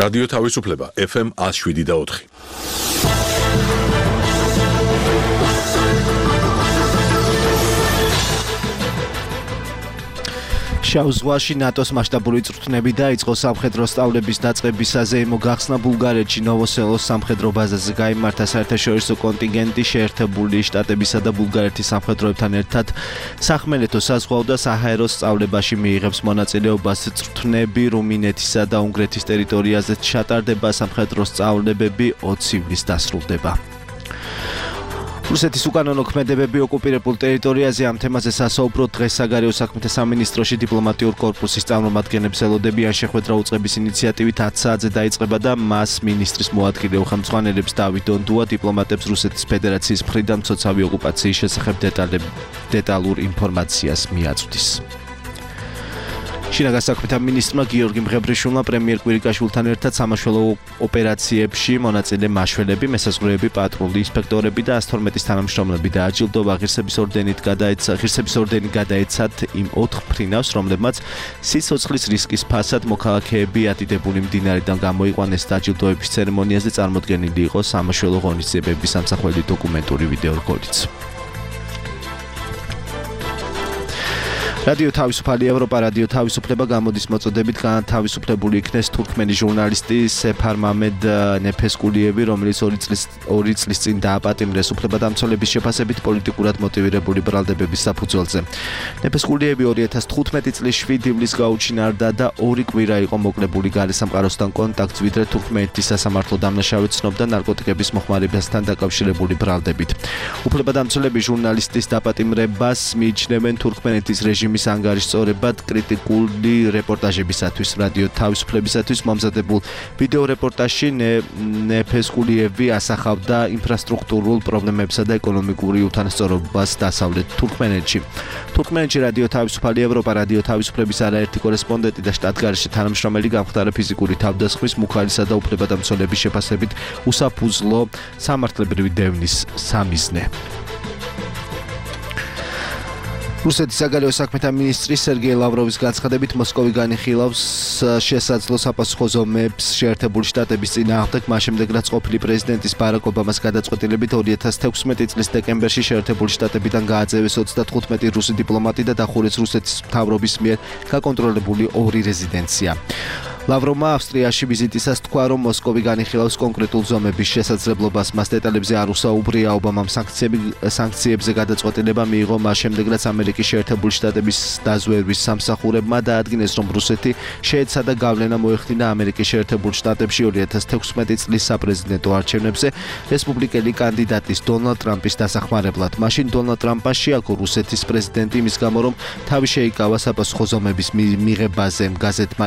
რადიო თავისუფლება FM 107.4. შავ ზღვაში ნატოს მასშტაბური წვრთნები დაიწყო სამხედრო სწავლების დაწყებისაზე მოგახსნა ბულგარეთში ნოვოსელოს სამხედრო ბაზაზე გაიმართა საერთაშორისო კონტინგენტი შეერთებული შტატებისა და ბულგარეთის სამხედროებთან ერთად სახმელეთო საზღვაო და საჰაერო სწავლებაში მიიღებს მონაწილეობას წვრთნები რუმინეთისა და უნგრეთის ტერიტორიაზე ჩატარდება სამხედრო სწავლებები 20 ივლისს დასრულდება. რუსეთის უკანონო ქმედებები ოკუპირებულ ტერიტორიაზე ამ თემაზე სასაუბროდ დღეს საგარეო საქმეთა სამინისტროში დიპლომატიურ კორპუსის წარმომადგენლებს ელოდებიან შეხვედრა უწყების ინიციატივით 10 საათზე დაიწყება და მას მინისტრის მოადგილე უხელმძღვანელებს დავით დონდუა დიპლომატებს რუსეთის ფედერაციის მხრიდან მცოცავი ოკუპაციის შესახებ დეტალურ ინფორმაციას მიაწვდის. შინაგან საქმეთა მინისტრმა გიორგი მღებრიშვილმა პრემიერ კვირიკაშვილთან ერთად სამაშველო ოპერაციებში მონაწილე მაშველები, მესაზღვრეები, პატრული ინსპექტორები და 112-ის თანამშრომლები დააჯილდოვა ღირსების ორდენი გადაეცათ იმ 4 ფრინავს, რომლებმაც სიცოცხლის რისკის ფასად მოქალაქეები ატიდებული მდინარიდან გამოიყვანეს დაჯილდოების ცერემონიაზე წარმოდგენილი იყო სამაშველო ღონისძიებების სამსახველი დოკუმენტური ვიდეო რგოლიც. რადიო თავისუფალი ევროპა რადიო თავისუფლება გამოდის მოწოდებით განთავისუფლებული იქნეს თურქმენი ჟურნალისტი სეფარ მამედ ნეფესკულიევი, რომელიც 2 წლის წინ დააპატიმრეს უფლებადამცველების შეფასებით პოლიტიკურად მოტივირებული ბრალდებების საფუძველზე. ნეფესკულიევი 2015 წლის 7 ივლისს გაუჩინარდა და 2 კვირა იყო მოკლებული გარესამყაროსთან კონტაქტს, ვიდრე თურქმეთის სასამართლო დამნაშავედ ცნობდა ნარკოტიკების მოხმარებასთან დაკავშირებული ბრალდებით. უფლებადამცველები ჟურნალისტის დაპატიმრებას მიიჩნევენ თურქმენეთის რეჟიმის ანგარიშწორებად კრიტიკული რეპორტაჟებისათვის. რადიო თავისუფლებისათვის მომზადებულ ვიდეო რეპორტაჟში ნეფესკულიევი ასახავდა ინფრასტრუქტურულ პრობლემებსა და ეკონომიკური უთანასწორობას დასავლეთ თურქმენეთში. თურქმენეთში რადიო თავისუფალი ევროპა რადიო თავისუფლების არაერთი კორესპონდენტი და შტატგარეშე თანამშრომელი გამხდარა ფიზიკური თავდასხმის, მუქარისა და უფლებადამცველების შეფასებით უსაფუძვლო სამართლებრივი დევნის სამიზნე. რუსეთის საგარეო საქმეთა მინისტრი სერგეი ლავროვის განცხადებით მოსკოვი განიხილავს შესაძლო საპასუხო ზომებს შეერთებული შტატების წინააღმდეგ, მას შემდეგ რაც ყოფილი პრეზიდენტის ბარაკ ობამას გადაწყვეტილებით 2016 წლის დეკემბერში შეერთებული შტატებიდან გააძევეს 35 რუსი დიპლომატი და დახურეს რუსეთის მთავრობის მიერ გაკონტროლებული 2 რეზიდენცია. ლავროვმა ავსტრიაში ვიზიტისას თქვა, რომ მოსკოვი განიხილავს კონკრეტულ ზომების შესაძლებლობას. მას დეტალებზე არ უსაუბრია. ობამამ სანქციებზე გადაწყვეტილება მიიღო მას შემდეგ, რაც ამერიკის შეერთებული შტატების დაზვერვის სამსახურებმა დაადგინეს, რომ რუსეთი შეეცადა გავლენა მოეხდინა ამერიკის შეერთებულ შტატებში 2016 წლის საპრეზიდენტო არჩევნებზე რესპუბლიკელი კანდიდატის დონალდ ტრამპის დასახმარებლად. მაშინ დონალდ ტრამპმა შეაქო რუსეთის პრეზიდენტი იმის გამო, რომ თავი შეიკავა საპასუხო ზომების მიღებაზე. გაზეთმა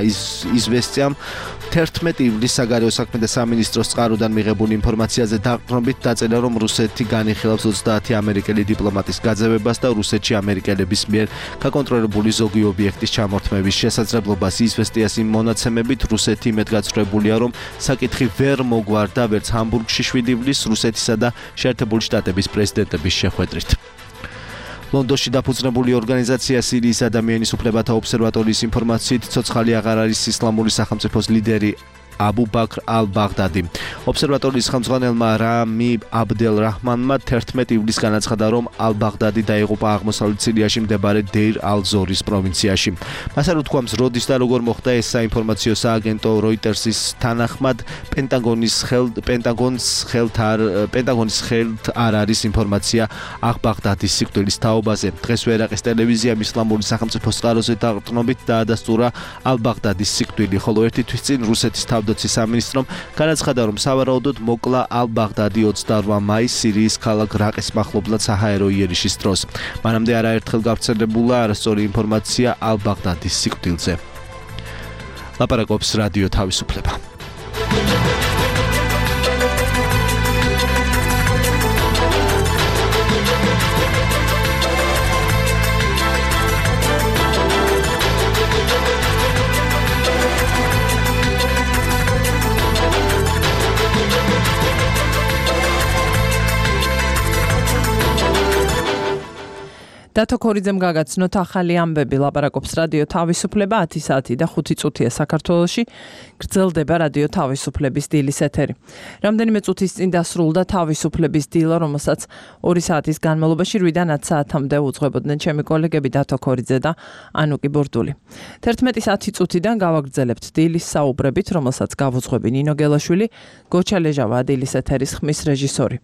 იზვესტია 11 ივლისს საგარეო საქმეთა სამინისტროს წყაროდან მიღებული ინფორმაციაზე დაყრდნობით დაწერა, რომ რუსეთი განიხილავს 30 ამერიკელი დიპლომატის გაძევებას და რუსეთში ამერიკელების მიერ გაკონტროლებული ზოგი ობიექტის ჩამორთმევის შესაძლებლობას. იზვესტიას იმ მონაცემებით რუსეთი იმედგაცრუებულია, რომ საკითხი ვერ მოგვარდა ვერც ჰამბურგში 7 ივლისს რუსეთისა და შეერთებული შტატების პრეზიდენტების შეხვედრით. ლონდონში დაფუძნებული ორგანიზაცია სირიის ადამიანის უფლებათა ობსერვატორიის ინფორმაციით ცოცხალი აღარ არის ისლამური სახელმწიფოს ლიდერი აბუ ბაქრ ალ-ბაღდადი. ობსერვატორიის ხელმძღვანელმა რამი აბდელ-რაჰმანმა 11 ივლისს განაცხადა, რომ ალ-ბაღდადი დაიღუპა აღმოსავლეთ სირიაში მდებარე დეირ ალ-ზორის პროვინციაში. მას არ უთქვამს როდის და როგორ მოხდა ეს საინფორმაციო სააგენტო როიტერსის თანახმად პენტაგონის ხელთ არ არის ინფორმაცია აღ-ბაღდადის სიკვდილის თაობაზე. დღეს ვერაყის ტელევიზიამ ისლამური სახელმწიფოს წყაროზე დაყრდნობით დაადასტურა ალ-ბაღდადის სიკვდილი, ხოლო ერთი თვის წინ რუსეთის თავდაცვის სამინისტრომ განაცხადა, რომ სავარაუდოდ მოკლა ალ-ბაღდადი 28 მაისს სირიის ქალაქ რაყის მახლობლად საჰაერო იერიშის დროს. მანამდე არაერთხელ გავრცელებულა არასწორი ინფორმაცია ალ-ბაღდადის სიკვდილზე. ლაპარაკობს რადიო თავისუფლება. დათო ქორიძემ გაგაცნოთ ახალი ამბები, ლაპარაკობს რადიო თავისუფლება 10 საათი და 5 წუთია საქართველოში, გრძელდება რადიო თავისუფლების დილის ეთერი. რამდენიმე წუთის წინ დასრულდა თავისუფლების დილა, რომელსაც 2 საათის განმავლობაში 8-დან 10 საათამდე უძღვებოდნენ ჩემი კოლეგები დათო ქორიძე და ანუკი ბურდული. 11 საათი წუთიდან გავაგრძელებთ დილის საუბრებით, რომელსაც გავუძღვები ნინო გელაშვილი, გოჩა ლეჟავა დილის ეთერის ხმის რეჟისორი.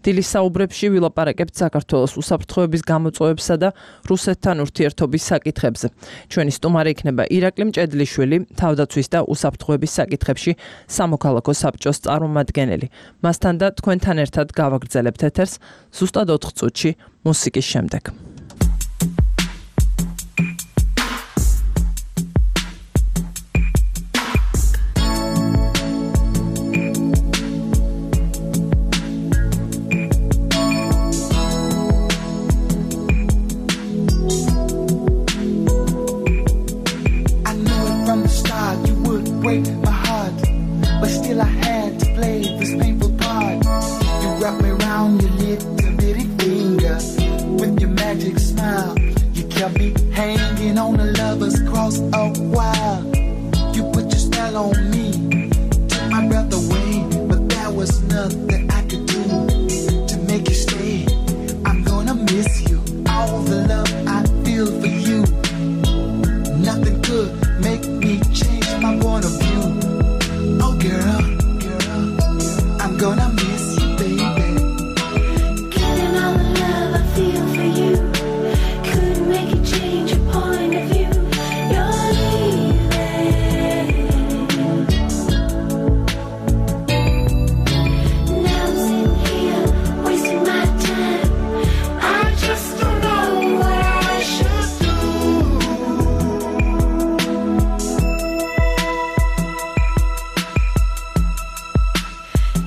დილის საუბრებში ვილაპარაკებთ საქართველოს უსაფრთხოების გამოწვევებსა და რუსეთთან ურთიერთობის საკითხებზე. ჩვენი სტუმარი იქნება ირაკლი მჭედლიშვილი, თავდაცვის და უსაფრთხოების საკითხებში სამოქალაქო საბჭოს წარმომადგენელი. მასთან და თქვენთან ერთად გავაგრძელებთ ეთერს ზუსტად 4 წუთში მუსიკის შემდეგ. Break my heart, but still I had to play this painful part. You wrap me around your little bitty finger with your magic smile. You kept me hanging on a lover's cross a while. You put your spell on me, took my breath away, but there was nothing I could do to make you stay. I'm gonna miss you, all the love I feel for you. Nothing could make me change my point of view. Oh girl, I'm gonna miss you, baby. Killing all the love I feel for you. Couldn't make you change your point of view. You're leaving. Now I'm sitting here wasting my time. I just don't know what I should do.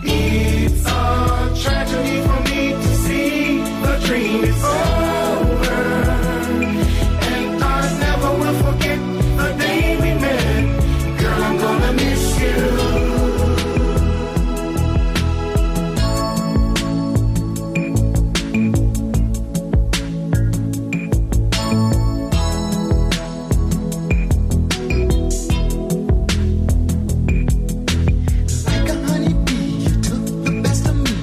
It's a tragedy for me to see the dream is over, and I never will forget the day we met. Girl, I'm gonna miss you. Like a honeybee, you took the best of me.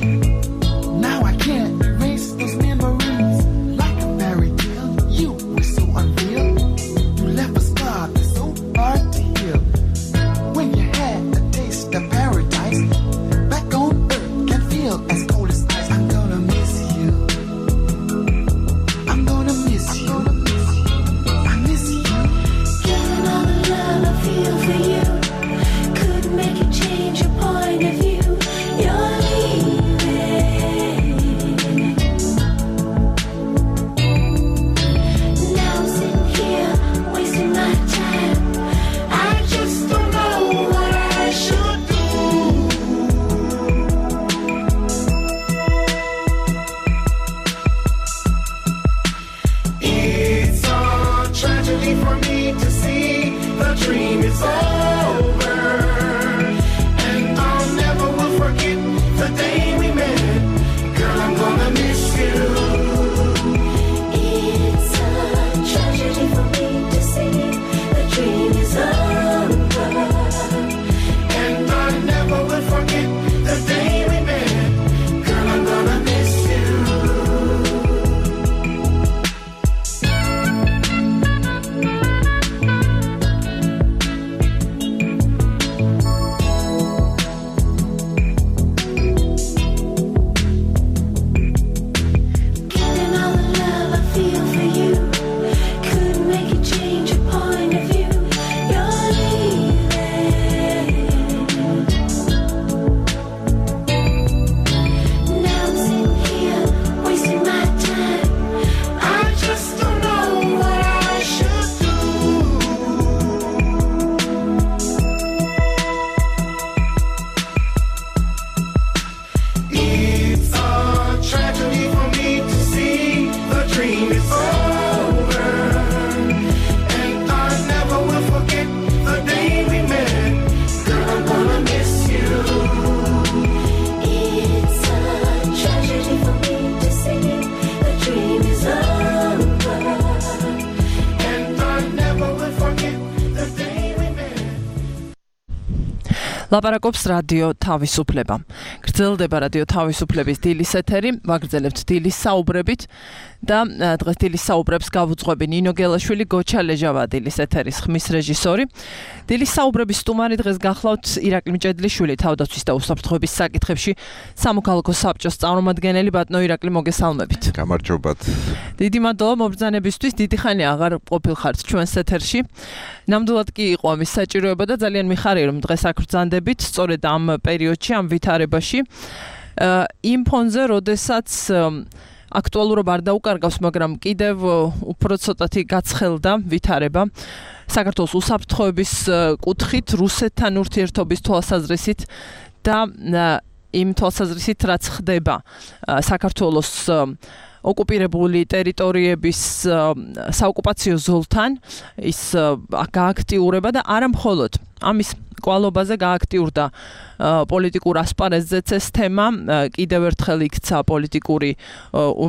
Now I can't erase those memories. Like a fairy tale, you were so unreal. You left a scar that's so hard to heal. When you had a taste of paradise, back on earth can feel as cold as ice. I'm gonna miss you. I'm gonna miss you. I miss you. Killing all the love I feel for you. Couldn't make you change your point of view. You're leaving. Now I'm sitting here wasting my time. I just don't know what I should do. It's a tragedy for me to see the dream is over, and I'll never will forget the day we met. Girl, I'm gonna miss you. It's a tragedy for me to see the dream is over. And I never will forget the day we met. Girl, I'm gonna miss you. ლაპარაკობს რადიო თავისუფლება. გრძელდება რადიო თავისუფლების დილის ეთერი, ვაგრძელებთ დილის საუბრებით და დღეს დილის საუბრებს გავუძღვები ნინო გელაშვილი, გოჩა ლეჟავა დილის ეთერის ხმის რეჟისორი. დილის საუბრების სტუმარი დღეს გახლავთ ირაკლი მჭედლიშვილი, თავდაცვის და უსაფრთხოების საკითხებში სამოქალაქო საბჭოს წარმომადგენელი. ბატონო ირაკლი, მოგესალმებით. გამარჯობათ. დიდი მადლობა მობრძანებისთვის, დიდი ხანი აღარ ყოფილხართ ჩვენს ეთერში. ნამდვილად კი იყო ამის საჭიროება და ძალიან მიხარია რომ დღეს აქ ვრძანდებით სწორედ ამ პერიოდში, ამ ვითარებაში. იმ ფონზე, როდესაც აქტუალურობა არ დაუკარგავს, მაგრამ კიდევ უფრო ცოტათი გაცხელდა ვითარება საქართველოს უსაფრთხოების კუთხით, რუსეთთან ურთიერთობის თვალსაზრისით და იმ თვალსაზრისით, რაც ხდება საქართველოს ოკუპირებული ტერიტორიების საოკუპაციო ზოლთან, ის გააქტიურება და არა მხოლოდ ამის კვალობაზე გააქტიურდა პოლიტიკურ ასპარეზზეც ეს თემა, კიდევ ერთხელ იქცა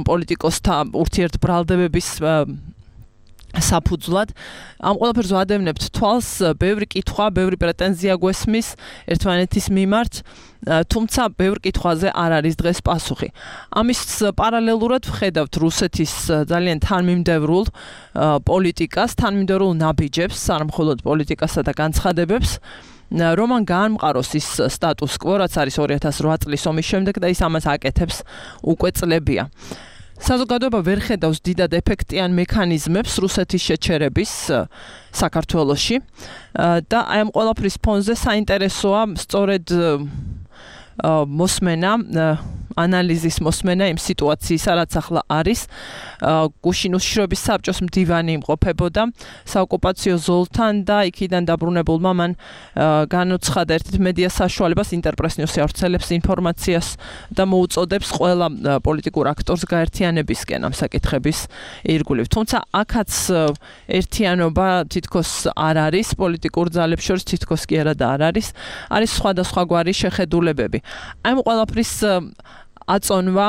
პოლიტიკოსთა ურთიერთბრალდებების საფუძვლად. ამ ყველაფერს ვადევნებთ თვალს, ბევრი კითხვა, ბევრი პრეტენზია გვესმის ერთმანეთის მიმართ, თუმცა ბევრ კითხვაზე არ არის დღეს პასუხი. ამის პარალელურად ვხედავთ რუსეთის ძალიან თანმიმდევრულ პოლიტიკას, თანმიმდევრულ ნაბიჯებს, არა მხოლოდ პოლიტიკასა და განცხადებებს, რომ ან გაამყაროს ის სტატუს კვო, რაც არის 2008 წლის ომის შემდეგ და ის ამას აკეთებს უკვე წლებია. საზოგადოება ვერ ხედავს დიდად ეფექტიან მექანიზმებს რუსეთის შეჩერების საქართველოში და აი ამ ყველაფრის ფონზე საინტერესოა სწორედ მოსმენა, ანალიზის მოსმენა იმ სიტუაციის, რაც ახლა არის. გუშინ უშიშროების საბჭოს მდივანი იმყოფებოდა საოკუპაციო ზოლთან და იქიდან დაბრუნებულმა მან განუცხადა ერთ მედია საშუალებას, ინტერპრეს-ნიუსი ავრცელებს ინფორმაციას და მოუწოდებს ყველა პოლიტიკურ აქტორს გაერთიანებისკენ ამ საკითხების ირგვლივ. თუმცა აქაც ერთიანობა თითქოს არ არის, პოლიტიკურ ძალებს შორის თითქოს კი არა და არ არის. არის სხვადასხვაგვარი შეხედულებები. აი ამ ყველაფრის აწონვა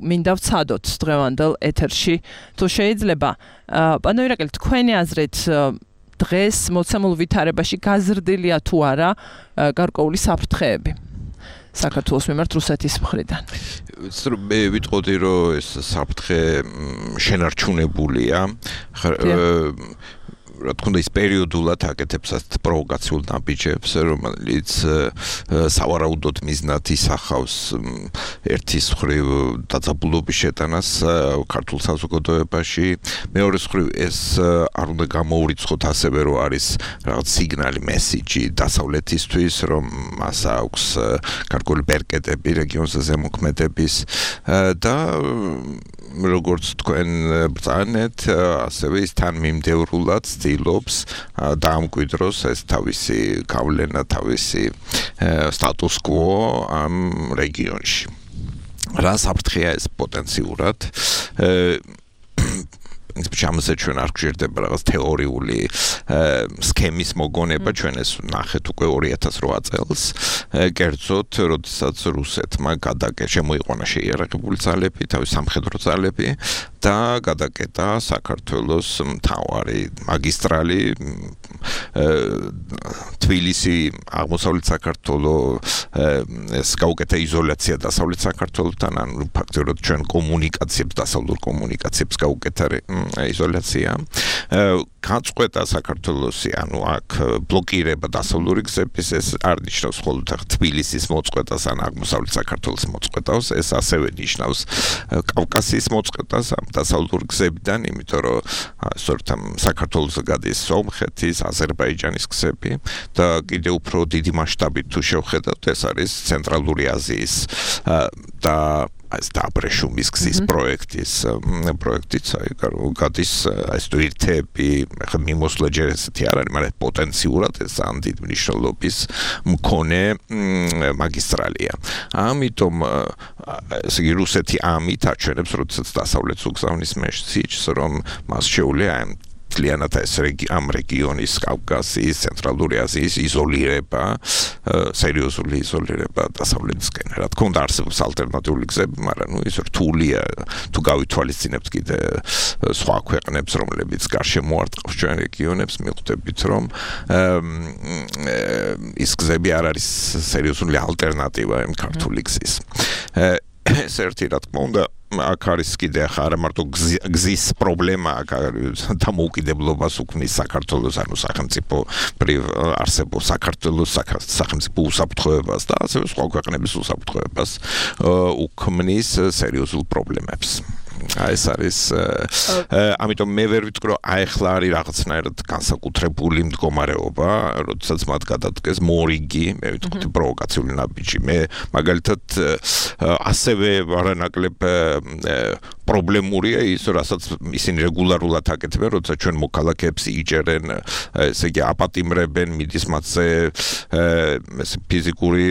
მინდა ვცადოთ დღევანდელ ეთერში, თუ შეიძლება. პანო ირაკლი, თქვენი აზრით დღეს მოცემულ ვითარებაში გაზრდილია თუ არა გარკვეული საფრთხეები საქართველოს მიმართ რუსეთის მხრიდან? მე ვიტყოდი, რომ ეს საფრთხე შენარჩუნებულია. რა თქმა უნდა, ის პერიოდულად აკეთებს ასეთ პროვოკაციულ ნაბიჯებს, რომელიც სავარაუდოდ მიზნად ისახავს ერთის მხრივ დაძაბულობის შეტანას ქართულ საზოგადოებაში, მეორეს მხრივ ეს არ უნდა გამოურიცხოთ ასევე, რომ არის რაღაც სიგნალი, მესიჯი დასავლეთისთვის, რომ მას აქვს გარკვეული ბერკეტები რეგიონზე ზემოქმედების და როგორც თქვენ ბრძანეთ, ასევე ის თანმიმდევრულად ცდილობს დაამკვიდროს ეს თავისი გავლენა, თავისი სტატუს კვო ამ რეგიონში. რა საფრთხეა ეს პოტენციურად? ამაზე ჩვენ არ გვჭირდება რაღაც თეორიული სქემის მოგონება, ჩვენ ეს ნახეთ უკვე 2008 წელს, კერძოდ, როდესაც რუსეთმა შემოიყვანა შეიარაღებული ძალები, თავის სამხედრო ძალები და გადაკეტა საქართველოს მთავარი მაგისტრალი თბილისი, აღმოსავლეთ საქართველოს, ეს გაუკეთა იზოლაცია დასავლეთ საქართველოსთან, ანუ ფაქტობრივად ჩვენ კომუნიკაციებს, დასავლურ კომუნიკაციებს გაუკეთა იზოლაცია. გაწყვეტა საქართველოსი, ანუ აქ ბლოკირება დასავლური გზების, ეს არ ნიშნავს მხოლოდ თბილისის მოწყვეტას ან აღმოსავლეთ საქართველოს მოწყვეტას, ეს ასევე ნიშნავს კავკასიის მოწყვეტას ამ დასავლურ გზებიდან, იმიტომ რომ სწორედ ამ საქართველოს გადის სომხეთის, აზერბაიჯანის გზები და კიდევ უფრო დიდი მასშტაბით თუ შევხედავთ, ეს არის ცენტრალური აზიის და ეს დაბრეშუმის გზის პროექტიც გადის ეს თვირთები, ხა მიმოსვლა ჯერ ესეთი არ არის, მაგრამ პოტენციურად ეს ძალიან დიდი მნიშვნელობის მქონე მაგისტრალია. ამიტომ ესე იგი რუსეთი ამით აჩვენებს, როდესაც დასავლეთს უგზავნის მესიჯს, რომ მას შეუძლია მთლიანად ეს ამ რეგიონის კავკასიის, ცენტრალური აზიის იზოლირება, სერიოზული იზოლირება დასავლეთისკენ. რა თქმა უნდა არსებობს ალტერნატიული გზები, მაგრამ ის რთულია თუ გავითვალისწინებთ კიდე სხვა ქვეყნებს, რომლებიც გარშემო არტყავს ჩვენ რეგიონებს, მიხვდებით რომ ის გზები არ არის სერიოზული ალტერნატივა იმ ქართული გზის. ეს ერთი რა თქმა უნდა აქ არის კიდე ახლა არა მარტო გზის პრობლემა, აქ დამოუკიდებლობას უქმნის საქართველოს, ანუ სახელმწიფო არსებობს საქართველოს სახელმწიფო უსაფრთხოებას და ასევე სხვა ქვეყნების უსაფრთხოებას უქმნის სერიოზულ პრობლემებს. ეს არის ამიტომ მე ვერ ვიტყვი რომ ახლა არის რაღაცნაირად განსაკუთრებული მდგომარეობა, როდესაც მათ გადადგეს მორიგი, მე ვიტყვი პროვოკაციული ნაბიჯი. მე მაგალითად ასევე არანაკლებ პრობლემურია ის, რასაც ისინი რეგულარულად აკეთებენ, როცა ჩვენ მოქალაქეებს იჯერენ, ესე იგი აპატიმრებენ, მიდის მათზე ფიზიკური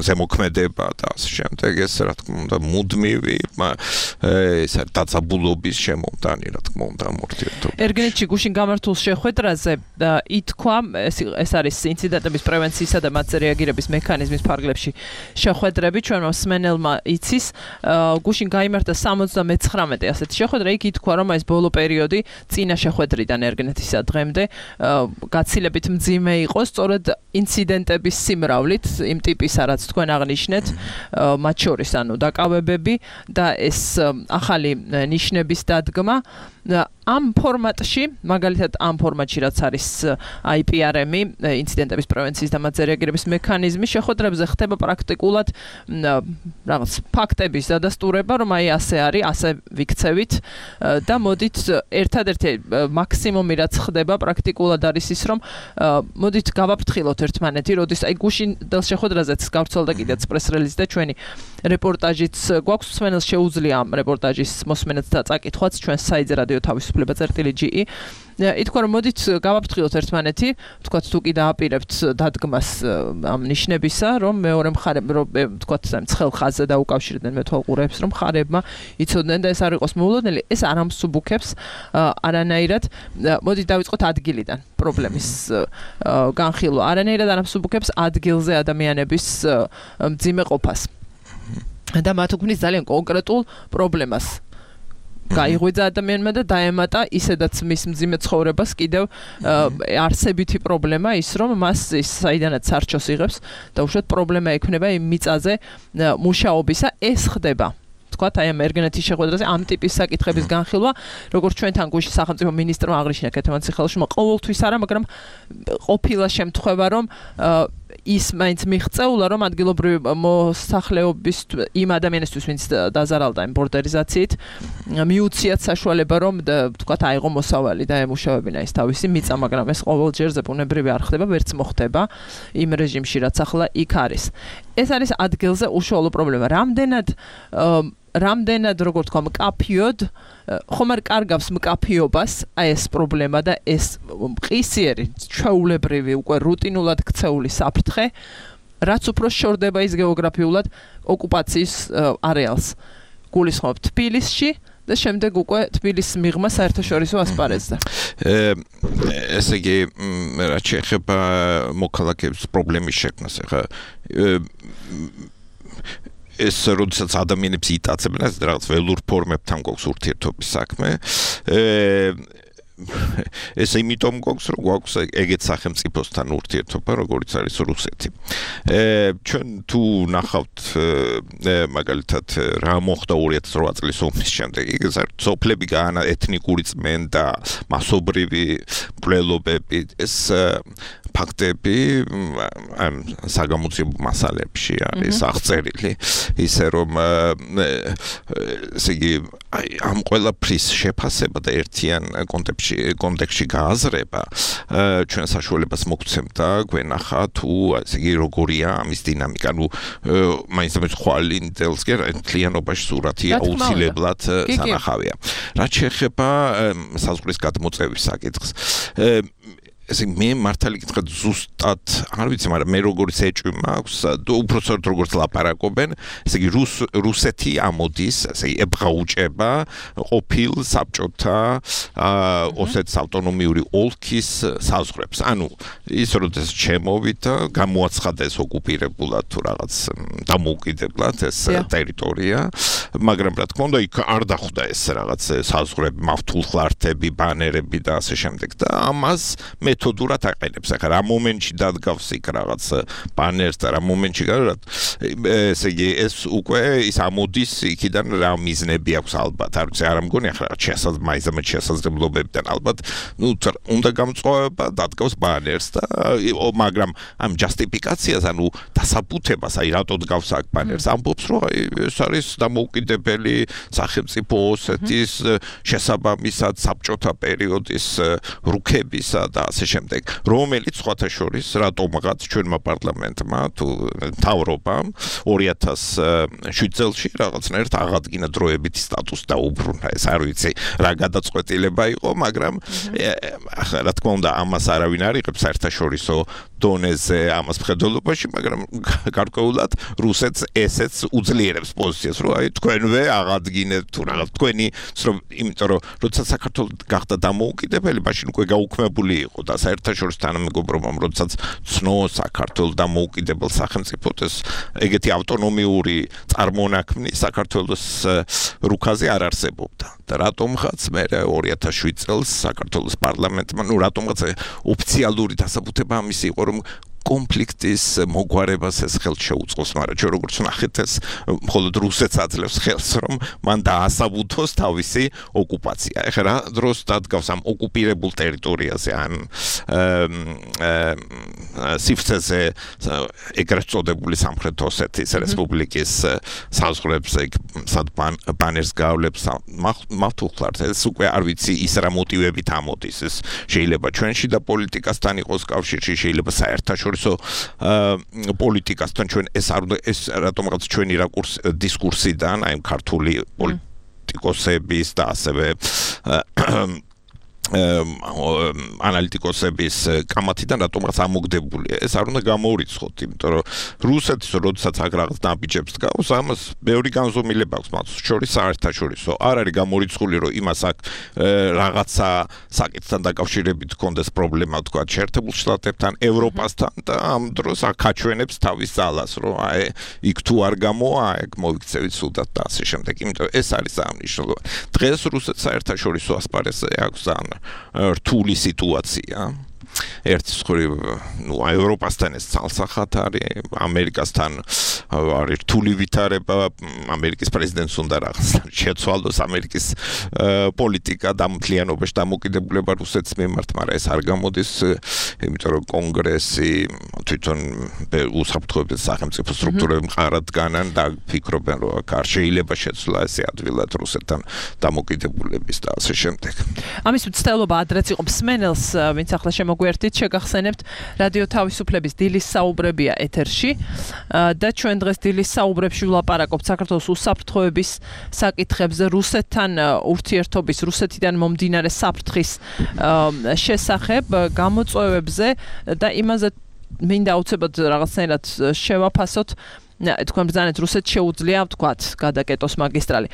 ზემოქმედება და ასე შემდეგ. ეს რა თქმა უნდა მუდმივი ეს დაწაბულობის შემომტანი, რა თქმა უნდა, მორთიერთობა. ერგენეთში გუშინ გამართულ შეხვედრაზე ითქვა, ეს არის ინციდენტების პრევენციისა და მათზე რეაგირების მექანიზმის ფარგლებში შეხვედრები, ჩვენმა მსმენელმა იცის, გუშინ გაიმართა 79 ასეთი შეხვედრა, იქ ითქვა, რომ ეს ბოლო პერიოდი წინა შეხვედრიდან ერგენეთისა დღემდე გაცილებით მძიმე იყო, სწორედ ინციდენტების სიმრავლით, იმ ტიპისა, რაც თქვენ აღნიშნეთ, მათ შორის ანუ დაკავებები და ეს ახალი ნიშნების დადგმა ამ ფორმატში, მაგალითად ამ ფორმატში რაც არის IPRM-ი, ინციდენტების პრევენციის და მათზე რეაგირების მექანიზმი, შეხვედრებზე ხდება პრაქტიკულად რაღაც ფაქტების დადასტურება, რომ აი ასე არის, ასე ვიქცევით და მოდით ერთადერთი მაქსიმუმი რაც ხდება პრაქტიკულად არის ის, რომ მოდით გავაფრთხილოთ ერთმანეთი, როდის აი გუშინ შეხვედრაზეც გავრცელდა კიდეც პრეს-რელიზი და ჩვენი რეპორტაჟიც გვაქვს, მსმენელს შეუძლია ამ რეპორტაჟის მოსმენაც და წაკითხვაც ჩვენს საიტზე რადიო თავისუფლება.ge. ითქვა რომ მოდით გავაფრთხილოთ ერთმანეთი, თქვათ თუ კი დააპირებთ დადგმას ამ ნიშნებისა, რომ მეორე მხარემ თქვათ ცხელ ხაზზე დაუკავშირდნენ მეთვალყურეებს, რომ მხარებმა იცოდნენ და ეს არ იყოს მოულოდნელი, ეს არ ამსუბუქებს არანაირად. მოდით დავიწყოთ ადგილიდან პრობლემის განხილვა. არანაირად არ ამსუბუქებს ადგილზე ადამიანების მძიმე ყოფას. და მათ უქმნის ძალიან კონკრეტულ პრობლემას. გაიღვიძა ადამიანმა და დაემატა ისედაც მის მძიმე ცხოვრებას კიდევ არსებითი პრობლემა ის, რომ მას ის საიდანაც სარჩოს იღებს და უშუალოდ პრობლემა ექნება იმ მიწაზე მუშაობისა. ეს ხდება. თქვათ აი ამ ერგენეთის შეხვედრაზე ამ ტიპის საკითხების განხილვა, როგორც ჩვენთან გუშინ სახელმწიფო მინისტრმა აღნიშნა ქეთევან ციხელიშვილი, ყოველთვის არა, მაგრამ ყოფილა შემთხვევა, რომ ის მაინც მიღწეულა, რომ ადგილობრივი მოსახლეობის იმ ადამიანისთვის, ვინც დაზარალდა იმ ბორდერიზაციით, მიუციათ საშუალება, რომ თქვათ აიღო მოსავალი და ემუშავებინა ის თავისი მიწა, მაგრამ ეს ყოველჯერ ზებუნებრივი არ ხდება, ვერც მოხდება იმ რეჟიმში, რაც ახლა იქ არის. ეს არის ადგილზე უშუალო პრობლემა. რამდენად როგორ თქვა მკაფიოდ ხომ არ კარგავს მკაფიობას აი ეს პრობლემა და ეს მყისიერი ჩვეულებრივი უკვე რუტინულად ქცეული საფრთხე, რაც უფრო შორდება ის გეოგრაფიულად ოკუპაციის არეალს. გულისხმობ თბილისში და შემდეგ უკვე თბილისის მიღმა საერთაშორისო ასპარეზზე. ესე იგი, რაც შეეხება მოქალაქეების პრობლემის შექმნას, ახლა ეს როდესაც ადამიანებს იტაცებენ, ეს რაღაც ველურ ფორმებთან გვაქვს ურთიერთობის საქმე. ეს იმიტომ გვაქვს, რომ გვაქვს ეგეთ სახელმწიფოსთან ურთიერთობა, როგორც არის რუსეთი. ჩვენ თუ ნახავთ მაგალითად რა მოხდა 2008 წლის ომის შემდეგ, ეს სოფლები გაანა ეთნიკური წმენდა, მასობრივი მკვლელობები, ეს ფაქტები ამ საგამოძიებო მასალებში არის აღწერილი, ისე რომ ესე იგი ამ ყველაფრის შეფასება და ერთიან კონტექსტში გააზრება ჩვენ საშუალებას მოგცემდა გვენახა თუ ესე იგი როგორია ამის დინამიკა, ნუ მაინც ხვალინდელს კი მთლიანობაში სურათი აუცილებლად სანახავია. რაც შეეხება საზღვრის გადმოწევის საკითხს, ესე მე მართალი გითხრათ ზუსტად არ ვიცი, მაგრამ მე როგორც ეჭვი მაქვს, უпростоრ როგორც ლაპარაკობენ, ესე იგი რუსეთი ამოდის, ესე იგი ებრაუჭება ყოფილ საბჭოთა ოსეთის ავტონომიური ოლქის საზღვრებს. ანუ ის როდესაც შემოვიდა, გამოაცხადეს ოკუპირებულად თუ რაღაც დამოუკიდებლად ეს ტერიტორია, მაგრამ რა თქმა უნდა იქ არ დახვდა ეს რაღაც საზღვრები, მავთულხლართები, ბანერები და ასე შემდეგ და ამას მეთოდურად აყენებს. ახლა რა მომენტში დადგავს იქ რაღაც ბანერს და რა მომენტში ესე იგი ეს უკვე ის ამოდის იქიდან რა მიზნები აქვს ალბათ. არ ვიცი, არ ამგონი ახლა მაიზამეთ შესაძლებლობებიდან ალბათ უნდა გამწვავება დადგავს ბანერს და მაგრამ ამ ჯასტიფიკაციას ანუ დასაბუთებას აი რატო დგავს აქ ბანერს ამბობს რომ ეს არის დამოუკიდებელი სახელმწიფო ოსეთის შესაბამისად საბჭოთა პერიოდის რუქებისა და ასე შემდეგ რომელიც სხვათა შორის რატომღაც ჩვენმა პარლამენტმა თუ მთავრობამ 2007 წელს რაღაცნაირად აღადგინა დროებითი სტატუსი და უბრუნა ეს არ ვიცი რა გადაწყვეტილება იყო მაგრამ რა თქმა უნდა ამას არავინ არ იღებს საერთაშორისო დონეზე ამას მხედველობაში მაგრამ გარკვეულად რუსეთს ესეც უძლიერებს პოზიციას რომ აი თქვენვე აღადგინებთ თუ რაღაც თქვენი იმიტომ რომ როდესაც საქართველოს გახდა დამოუკიდებელი მაშინ უკვე გაუქმებული იყო და საერთაშორისო თანამეგობრობამ როდესაც ცნო საქართველოს დამოუკიდებელ სახელმწიფოდ ეს ეგეთი ავტონომიური წარმონაქმნი საქართველოს რუკაზე არ არსებობდა და რატომღაც მე 2007 წელს საქართველოს პარლამენტმა ნუ რატომღაც ოფიციალური დასაბუთება ამისი იყო რომ კონფლიქტის მოგვარებას ეს ხელს შეუწყოს, მაგრამ ჩვენ როგორც ნახეთ ეს მხოლოდ რუსეთს აძლევს ხელს, რომ მან დაასაბუთოს თავისი ოკუპაცია. ეხლა რა დროს დადგავს ამ ოკუპირებულ ტერიტორიაზე, ან სიფრცეზე ეგრეთ წოდებული სამხრეთ ოსეთის რესპუბლიკის საზღვრებზე სად ბანერს გავლებს მავთულხლართ, ეს უკვე არ ვიცი ის რა მოტივებით ამოდის, ეს შეიძლება ჩვენში და პოლიტიკასთან იყოს კავშირში, შეიძლება საერთაშორისო პოლიტიკასთან ჩვენ ეს რატომღაც ჩვენი დისკურსიდან აი ქართული პოლიტიკოსების და ასევე ანალიტიკოსების კამათიდან რატომღაც ამოგდებულია ეს არ უნდა გამოურიცხოთ იმიტომ რომ რუსეთის როდესაც აქ რაღაც ნაბიჯებს დგავს ამას ბევრი განზომილება აქვს მათ შორის საერთაშორისო არ არის გამოურიცხული რომ იმას აქ რაღაცა საკითხთან დაკავშირებით კონდეს პრობლემა თქვა შეერთებულ შტატებთან ევროპასთან და ამ დროს აქ აჩვენებს თავის ძალას რომ აი იქ თუ არ გამოა ეგ მოიქცევით სუდად და ასე შემდეგ იმიტომ ეს არის აღნიშნულოვანი დღეს რუსეთს საერთაშორისო ასპარეზზე აქვს რთული სიტუაცია ერთის მხრივ ნუ ევროპასთან ეს ცალსახად არის ამერიკასთან არის რთული ვითარება ამერიკის პრეზიდენტს უნდა რაღაც შეცვალოს ამერიკის პოლიტიკა და მთლიანობაში დამოკიდებულება რუსეთის მიმართ მაგრამ ეს არ გამოდის იმიტომ რომ კონგრესი თვითონ უსაფრთხოების სახელმწიფო სტრუქტურები მყარად დგანან და ფიქრობენ რომ აქ არ შეიძლება შეცვლა ესე ადვილად რუსეთთან დამოკიდებულების და ასე შემდეგ ამის მცდელობა ადრეც იყო მსმენელს ვინც ახლა მოგვერთით შეგახსენებთ რადიო თავისუფლების დილის საუბრებია ეთერში და ჩვენ დღეს დილის საუბრებში ვლაპარაკობთ საქართველოს უსაფრთხოების საკითხებზე რუსეთთან ურთიერთობის რუსეთიდან მომდინარე საფრთხის შესახებ გამოწვევებზე და იმაზე მინდა აუცილებლად რაღაცნაირად შევაფასოთ თქვენ ბრძანეთ რუსეთს შეუძლია ვთქვათ გადაკეტოს მაგისტრალი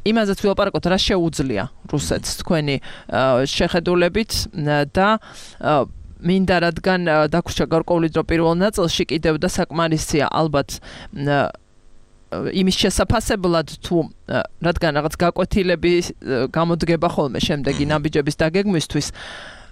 იმაზეც ვილაპარაკოთ რა შეუძლია რუსეთს თქვენი შეხედულებით და მინდა რადგან დაგვრჩა გარკვეული დრო პირველ ნაწილში კიდევ და საკმარისია ალბათ იმის შესაფასებლად თუ რადგან რაღაც გაკვეთილები გამოდგება ხოლმე შემდეგი ნაბიჯების დაგეგმვისთვის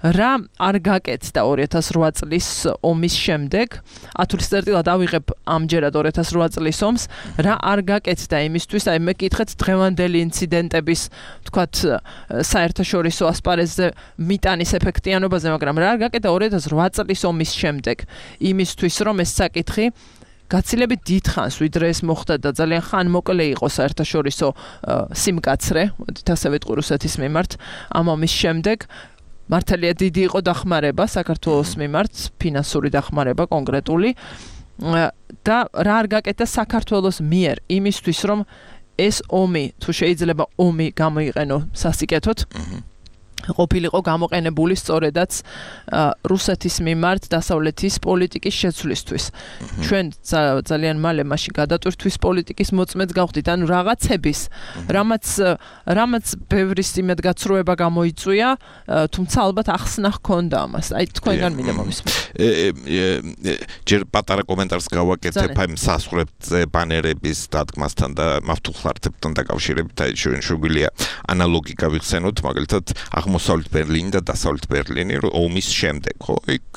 რა არ გაკეთდა 2008 წლის ომის შემდეგ ათვისწერტილად ავიღებ ამჯერად 2008 წლის ომს რა არ გაკეთდა იმისთვის აი მე კითხეთ დღევანდელი ინციდენტების თქვათ საერთაშორისო ასპარეზზე მიტანის ეფექტიანობაზე მაგრამ რა არ გაკეთდა 2008 წლის ომის შემდეგ იმისთვის რომ ეს საკითხი გაცილებით დიდხანს ვიდრე ეს მოხდა და ძალიან ხანმოკლე იყო საერთაშორისო სიმკაცრე მოდით ასე ვიტყვი რუსეთის მიმართ ამ ომის შემდეგ მართალია დიდი იყო დახმარება საქართველოს მიმართ ფინანსური დახმარება კონკრეტული და რა არ გაკეთდა საქართველოს მიერ იმისთვის რომ ეს ომი თუ შეიძლება ომი გამოიყენო სასიკეთოდ ყოფილიყო გამოყენებული სწორედაც რუსეთის მიმართ დასავლეთის პოლიტიკის შეცვლისთვის. ჩვენ ძალიან მალე მაშინ გადატვირთვის პოლიტიკის მოწმეც გავხდით, ანუ რაღაცების, რამაც ბევრი იმედგაცრუება გამოიწვია, თუმცა ალბათ ახსნა ჰქონდა ამას. აი თქვენგან მინდა მომისმენთ. ჯერ პატარა კომენტარს გავაკეთებ აი სასწრაფო ბანერების დადგმასთან და მავთუხლარდებთან დაკავშირებით, აი შეგვიძლია ანალოგი გავიხსენოთ, მაგალითად აღმოსავლეთ ბერლინი და დასავლეთ ბერლინი ომის შემდეგ, ხო? იქ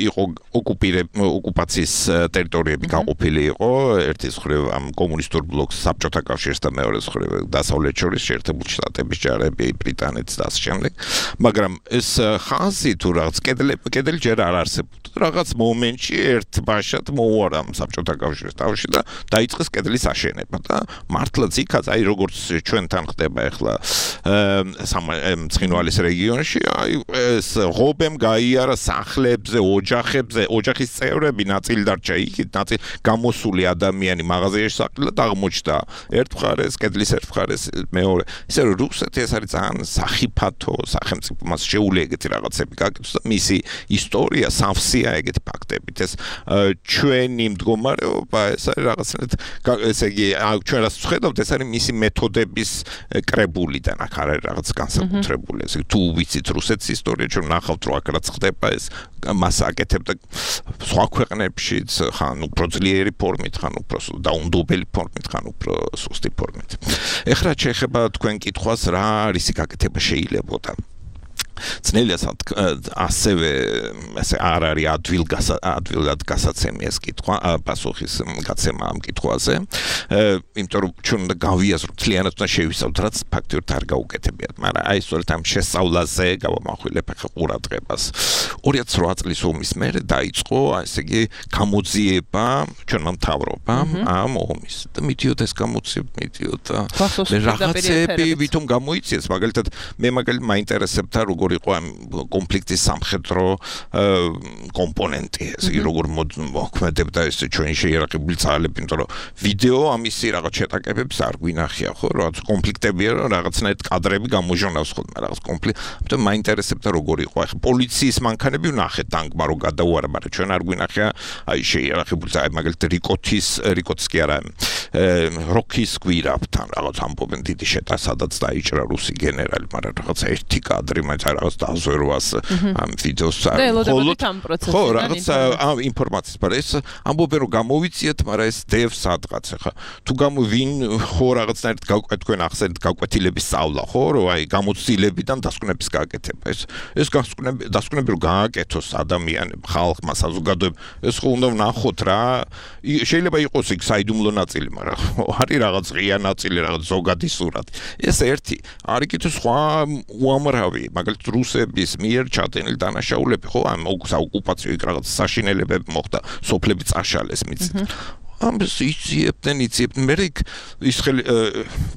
იყო ოკუპაციის ტერიტორიები გაყოფილი იყო, ერთის მხრივ ამ კომუნისტურ ბლოკს საბჭოთა კავშირს და მეორე მხრივ დასავლეთ შორის შეერთებული შტატების ჯარები, ბრიტანეთის და ასე შემდეგ. მაგრამ ეს ხაზი თუ რაღაც კედელი ჯერ არ არსებობდა. რაღაც მომენტში ერთ ბაშად მოუარა საბჭოთა კავშირის თავში და დაიწყეს კედლის აშენება და მართლაც იქაც აი როგორც ჩვენთან ხდება ახლა ცხინვალის რეგიონში, აი ეს ღობემ გაიარა სახლებზე, ოჯახის წევრები, ნაწილი დარჩა იქით, ნაწილი გამოსული ადამიანი მაღაზიაში საყრდნად აღმოჩნდა. ერთ მხარეს, კედლის ერთ მხარეს მეორე. ისე რომ რუსეთი ეს არის ძალიან სახიფათო სახელმწიფო, მას შეუძლია ეგეთი რაღაცები გაკეთოს და მისი ისტორია სავსეა ეგეთი ფაქტებით. ეს ჩვენი მდგომარეობა, ეს არის რაღაცნაირად, ესე იგი, ჩვენ რას ვხედავთ, ეს არის მისი მეთოდების კრებულიდან, აქ არ არის რაღაც განსაკუთრებული. ესე თუ ვიცით რუსეთის ისტორია, ჩვენ ნახავთ რომ აქ რაც ხდება, ეს მას აკეთებდა სხვა ქვეყნებშიც, ხან უფრო ძლიერი ფორმით, ხან უფრო დაუნდობელი ფორმით, ხან უფრო სუსტი ფორმით. ეხლა შეეხება თქვენ კითხვას, რა რისი გაკეთება შეიძლებოდა. ძნელია ასევე ესე არ არის ადვილად გასაცემი ეს კითხვა, პასუხის გაცემა ამ კითხვაზე. იმიტომ რომ ჩვენ უნდა გავიაზროთ, ძალიანად უნდა შევისწავლოთ, რაც ფაქტობრივად არ გაუკეთებიათ, მაგრამ აი სწორედ ამ შესწავლაზე გავამახვილებ ახლა ყურადღებას. 2008 წლის ომის მერე დაიწყო, ესე იგი, გამოძიება ჩვენმა მთავრობამ ამ ომის. და მიდიოდა ეს გამოძიება, მიდიოდა რაღაცები ვითომ გამოიწიეს, მაგალითად მე მაინტერესებდა როგორ იყო ამ კონფლიქტის სამხედრო კომპონენტი, ესე იგი როგორ მოქმედებდა ეს ჩვენი შეიარაღებული ძალები, იმიტომ რომ ვიდეო ამისი რაღაც შეტაკებებს არ გვინახია, ხო, რაღაც კონფლიქტებია, რაღაცნაირად კადრები გამოჟონავს ხოლმე რაღაც კონფლიქტი. ამიტომ მაინტერესებდა როგორ იყო. ახლა პოლიციის მანქანები ვნახეთ ტანკმა რო გადაუარა, მაგრამ ჩვენ არ გვინახია აი შეიარაღებული ძალები, მაგალითად რიკოტს კი არა, როქის გვირავთან რაღაც ამბობენ დიდი შეტა, სადაც დაიჭრა რუსი გენერალი, მაგრამ რაღაც ერთი კადრი მაინც რაღაც დაზვერვას ამ ვიდეოს ხო რაღაც ინფორმაციის, მაგრამ ეს ამბობენ რომ გამოვიციეთ, მაგრამ ეს დევს სადღაც. ახლა თუ ვინ ხო რაღაცნაირად თქვენ ახსენეთ გაკვეთილების სწავლა, ხო, რომ აი გამოცდილებიდან დასკვნების გაკეთება. ეს დასკვნები რომ გააკეთოს ადამიანებმა, ხალხმა, საზოგადოებამ, ეს ხო უნდა ვნახოთ რა. შეიძლება იყოს იქ საიდუმლო ნაწილი, მაგრამ არის რაღაც ღია ნაწილი, რაღაც ზოგადი სურათი. ეს ერთი, არის კიდევ სხვა უამრავი, მაგალითად რუსების მიერ ჩადენილი დანაშაულები, ხო, ამ ოკუპაციო იქ რაღაც საშინელებები მოხდა, სოფლები წაშალეს მიწით. ამას იწიებდნენ, მე ის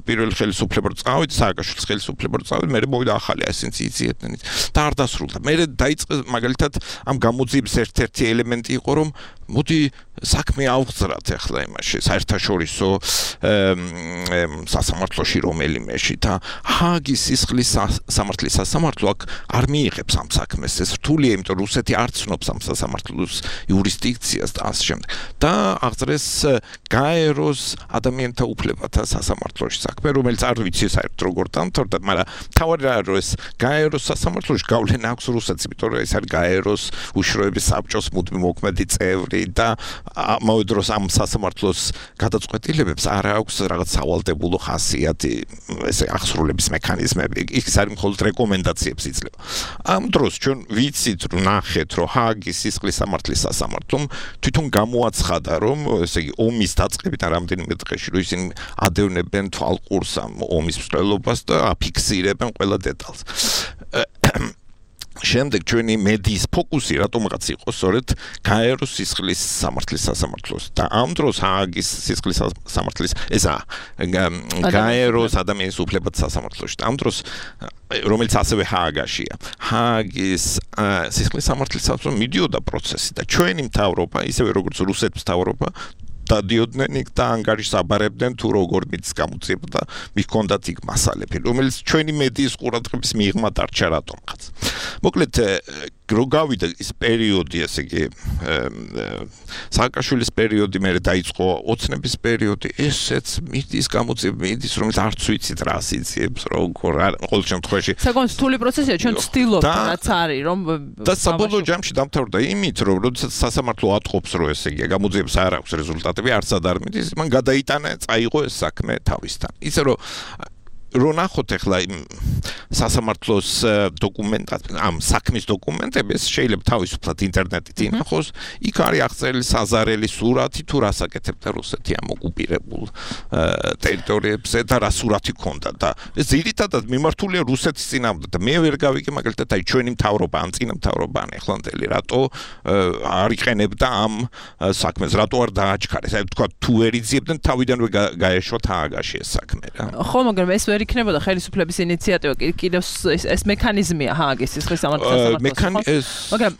პირველი ხელისუფლება რო წავიდა, სააკაშვილის ხელისუფლება რო წავიდა, მე მოვიდა ახალი, ესენც იწიებდნენ და არ დასრულდა. მე დაიწყეს მაგალითად ამ გამოძიების ერთ-ერთი ელემენტი იყო, რომ მოდი საქმე ავღძრათ ახლა იმაში, საერთაშორისო სასამართლოში რომელიმეში და ჰააგის სისხლის სამართლის სასამართლო აქ არ მიიღებს ამ საქმეს. ეს რთულია, იმიტომ რომ რუსეთი არ ცნობს ამ სასამართლოს იურისდიქციას და ასე შემდეგ. და აღძრეს გაეროს ადამიანთა უფლებათა სასამართლოში საქმე, რომელიც არ ვიცი საერთოდ როგორ დამთავრდა, მაგრამ თავი რა რომ ეს გაეროს სასამართლოში გავლენა აქვს რუსეთს, იმიტომ რომ ეს არის გაეროს უშიშროების საბჭოს მუდმივ მოქმედი წევრი და ამავე დროს ამ სასამართლოს გადაწყვეტილებებს არ აქვს რაღაც სავალდებულო ხასიათი, ესე აღსრულების მექანიზმები, ის არის მხოლოდ რეკომენდაციებს იძლევა. ამ დროს ჩვენ ვიცით, რომ ნახეთ, რომ ჰააგის სისხლის სამართლის სასამართლომ თვითონ გამოაცხადა, რომ ესე იგი ომის დაწყებიდან რამდენიმე დღეში რომ ისინი ადევნებენ თვალყურს ამ ომის მსვლელობას და აფიქსირებენ ყველა დეტალს. შემდეგ ჩვენი მედიის ფოკუსი რატომღაც იყო სწორედ გაეროს სისხლის სამართლის სასამართლოს და ამ დროს ჰააგის სისხლის სამართლის ესა გაეროს ადამიანის უფლებათა სასამართლოში და ამ დროს რომელიც ასევე ჰააგაშია ჰააგის სისხლის სამართლის სასამართლო მიდიოდა პროცესი და ჩვენი მთავრობა ისევე როგორც რუსეთის მთავრობა დადიოდნენ იქ და ანგარიშს აბარებდნენ თუ როგორ მის გამოძიებდა მიქონდათ იქ მასალები რომელიც ჩვენი მედიის ყურადღების მიღმა დარჩა რატომღაც მოკლედ რო გავიდა ის პერიოდი ესე იგი სააკაშვილის პერიოდი მე დაიწყო ოცნების პერიოდი ესეც მიდის გამოძიება მიდის რომელიც არც ვიცით რა სიძიებს როგორ ყოველ შემთხვევაში საკმაოდ რთული პროცესია ჩვენ ვცდილობთ რაც არის რომ და საბოლოო ჯამში დამთავრდა იმით რომ როდესაც სასამართლო ატყობს რომ ესე იგი გამოძიებას არ აქვს რეზულტატები არცად არ მიდის მან გადაიტანა წაიღო ეს საქმე თავისთან ისე რომ რო ნახოთ ახლა იმ სასამართლოს დოკუმენტად ამ საქმის დოკუმენტებს შეიძლება თავისუფლად ინტერნეტით ინახოს იქ არის აღწერილი საზარელი სურათი თუ რას აკეთებდა რუსეთი ამ ოკუპირებულ ტერიტორიებზე და რა სურათი ქონდა და ეს ძირითადად მიმართულია რუსეთის წინააღმდეგ და მე ვერ გავიგე მაგალითად აი ჩვენი მთავრობა ან წინა მთავრობა ან ახლანდელი რატო არ იყენებდა ამ საქმეს რატო არ დააჩქარეს აი თქვა თუ ვერ იძიებდნენ თავიდანვე გაეშვა თააგაში ეს საქმე რა ხო მაგრამ ეს ვერ იქნებოდა ხელისუფლების ინიციატივა კიდევ ეს მექანიზმია ჰააგის სისხლის სამართლის მაგრამ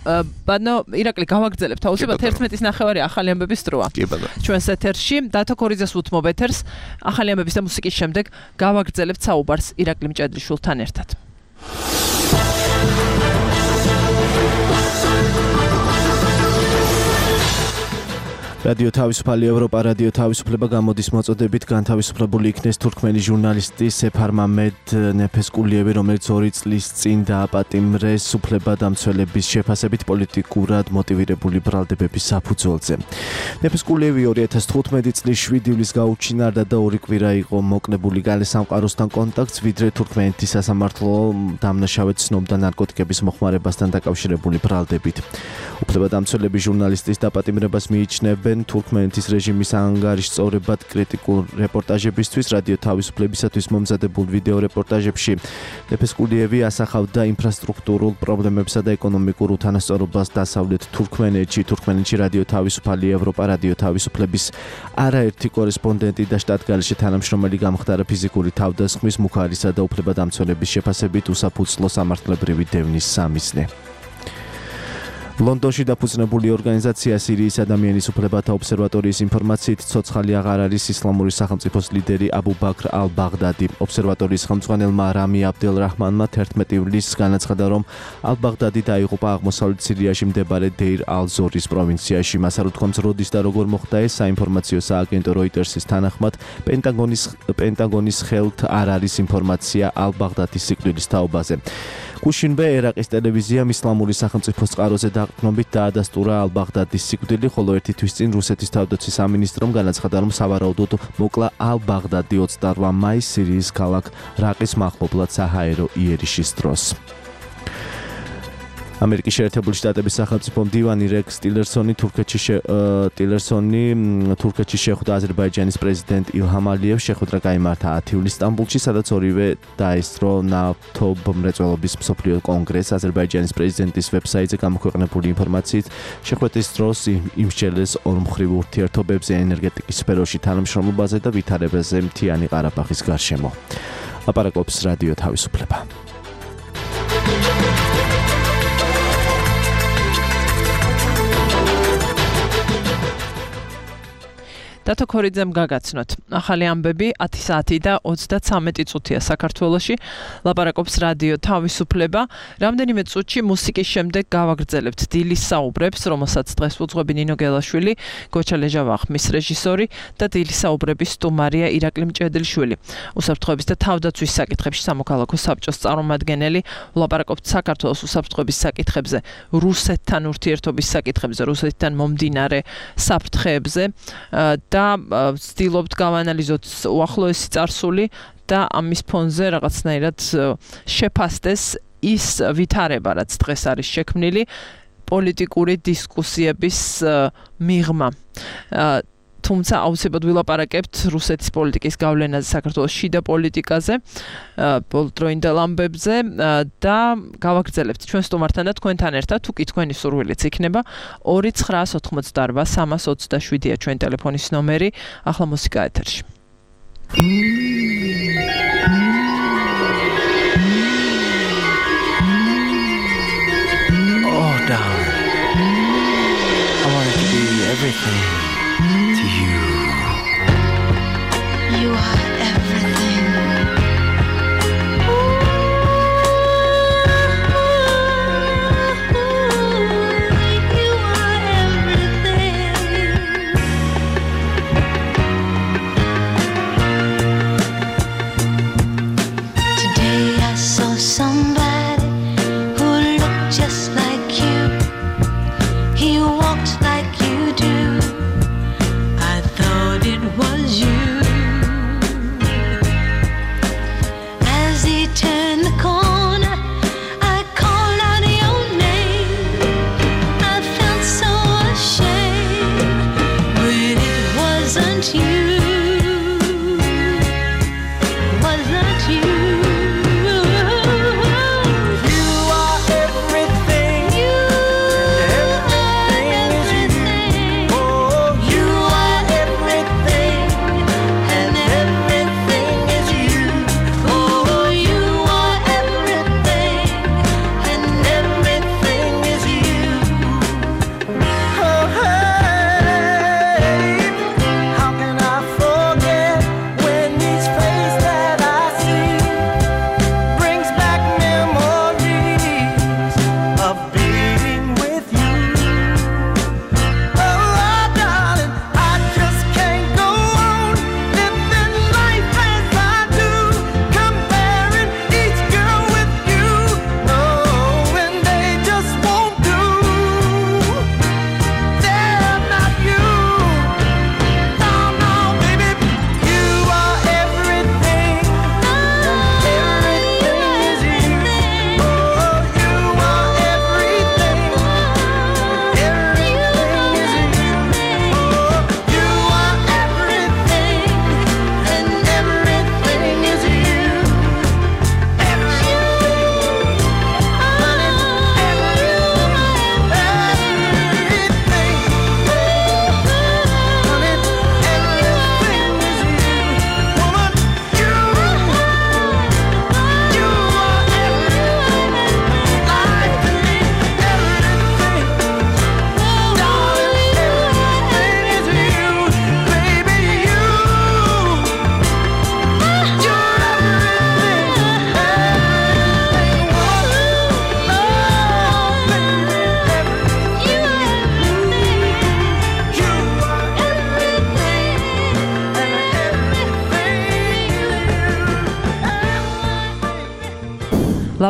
ბანო ირაკლი გავაგრძელებთ აუცილებლად 11:09 ახალი ამბების დროა ჩვენს ეთერში დათო ქორიძეს უთმობ ეთერს ახალი ამბების და მუსიკის შემდეგ გავაგრძელებთ საუბარს ირაკლი მჭედრიშვილთან ერთად რადიო თავისუფალი ევროპა რადიო თავისუფლება გამოდის მოწოდებით განთავისუფლებული იქნეს თურქმენი ჟურნალისტი სეფარ მამედ ნეფესკულიევი რომელიც 2 წლის წინ დააპატიმრეს უფლებადამცველების შეფასებით პოლიტიკურად მოტივირებული ბრალდებების საფუძველზე. ნეფესკულიევი 2015 წლის 7 ივლისს გაუჩინარდა და 2 კვირა იყო მოკლებული გალე სამყაროსთან კონტაქტს ვიდრე თურქმენეთის სასამართლო დამნაშავედ ცნობდა ნარკოტიკების მოხმარებასთან დაკავშირებული ბრალდებით. უფლებადამცველები ჟურნალისტის დაპატიმრებას მიიჩნევენ თურქმენეთის რეჟიმის ანგარიშწორებად კრიტიკულ რეპორტაჟებისთვის რადიო თავისუფლებისათვის მომზადებულ ვიდეო რეპორტაჟებში ნეფესკულიევი ასახავდა ინფრასტრუქტურულ პრობლემებსა და ეკონომიკურ უთანასწორობას დასავლეთ თურქმენეთში რადიო თავისუფალი ევროპა რადიო თავისუფლების არაერთი კორესპონდენტი და შტატგარეშე თანამშრომელი გამხდარა ფიზიკური თავდასხმის მუხარისა და უფლებადამცველების შეფასებით უსაფუძვლო სამართლებრივი დევნის სამიზნე. ლონდონში დაფუძნებული ორგანიზაცია სირიის ადამიანის უფლებათა ობსერვატორიის ინფორმაციით ცოცხალი აღარ არის ისლამური სახელმწიფოს ლიდერი აბუ ბაქრ ალ-ბაღდადი. ობსერვატორიის ხელმძღვანელმა რამი აბდელ-რაჰმანმა 11 ივლისს განაცხადა, რომ ალ-ბაღდადი დაიღუპა აღმოსავლეთ სირიაში მდებარე დეირ ალ-ზორის პროვინციაში. მას არ უთქვამს როდის და როგორ მოხდა ეს. საინფორმაციო სააგენტო როიტერსის თანახმად პენტაგონის ხელთ არ არის ინფორმაცია ალ-ბაღდადის სიკვდილის თაობაზე. გუშინვე ერაყის ტელევიზიამ ისლამური სახელმწიფოს წყაროზე დაყრდნობით დაადასტურა ალ-ბაღდადის სიკვდილი, ხოლო ერთი თვის წინ რუსეთის თავდაცვის სამინისტრომ განაცხადა, რომ სავარაუდოდ მოკლა ალ-ბაღდადი 28 მაისს სირიის ქალაქ რაყის მახლობლად საჰაერო იერიშის დროს. ამერიკის შეერთებული შტატების სახელმწიფო მდივანი რექს ტილერსონი თურქეთში შეხვდა აზერბაიჯანის პრეზიდენტ ილჰამ ალიევს. შეხვედრა გაიმართა 10 ივლისს სტამბულში, სადაც ორივე დაესწრო ნავთობმრეწველობის მსოფლიო კონგრესს. აზერბაიჯანის პრეზიდენტის ვებსაიტზე გამოქვეყნებული ინფორმაციით შეხვედრის დროს იმსჯელეს ორმხრივ ურთიერთობებზე, ენერგეტიკის სფეროში თანამშრომლობაზე და ვითარებაზე მთიანი ყარაბაღის გარშემო. ლაპარაკობს რადიო თავისუფლება. დათო ქორიძემ გაგაცნოთ. ახალი ამბები 10 საათი და 33 წუთია საქართველოში. ლაპარაკობს რადიო თავისუფლება. რამდენიმე წუთში მუსიკის შემდეგ გავაგრძელებთ დილის საუბრებს, რომელსაც დღეს უძღვები ნინო გელაშვილი, გოჩა ლეჟავახმის რეჟისორი და დილის საუბრების სტუმარია ირაკლი მჭედრიშვილი. უსაფრთხოების და თავდაცვის საკითხებში სამოქალაქო საბჭოს წარმომადგენელი. ლაპარაკობთ საქართველოს უსაფრთხოების საკითხებზე, რუსეთთან ურთიერთობის საკითხებზე, რუსეთთან მომდინარე საფრთხეებზე. და ვცდილობთ გავანალიზოთ უახლოესი წარსული და ამის ფონზე რაღაცნაირად შეფასდეს ის ვითარება, რაც დღეს არის შექმნილი პოლიტიკური დისკუსიების მიღმა. თუმცა აუცილებლად ვილაპარაკებთ რუსეთის პოლიტიკის გავლენაზე საქართველოს შიდა პოლიტიკაზე, პოლიტროინდელ ამბებზე და გავაგრძელებთ ჩვენ სტუმართან და თქვენთან ერთად, თუ კი თქვენი სურვილიც იქნება 2988-327-ია ჩვენ ტელეფონის ნომერი. ახლა მუსიკა ეთერში. Oh, darling, I want it to be everything to you.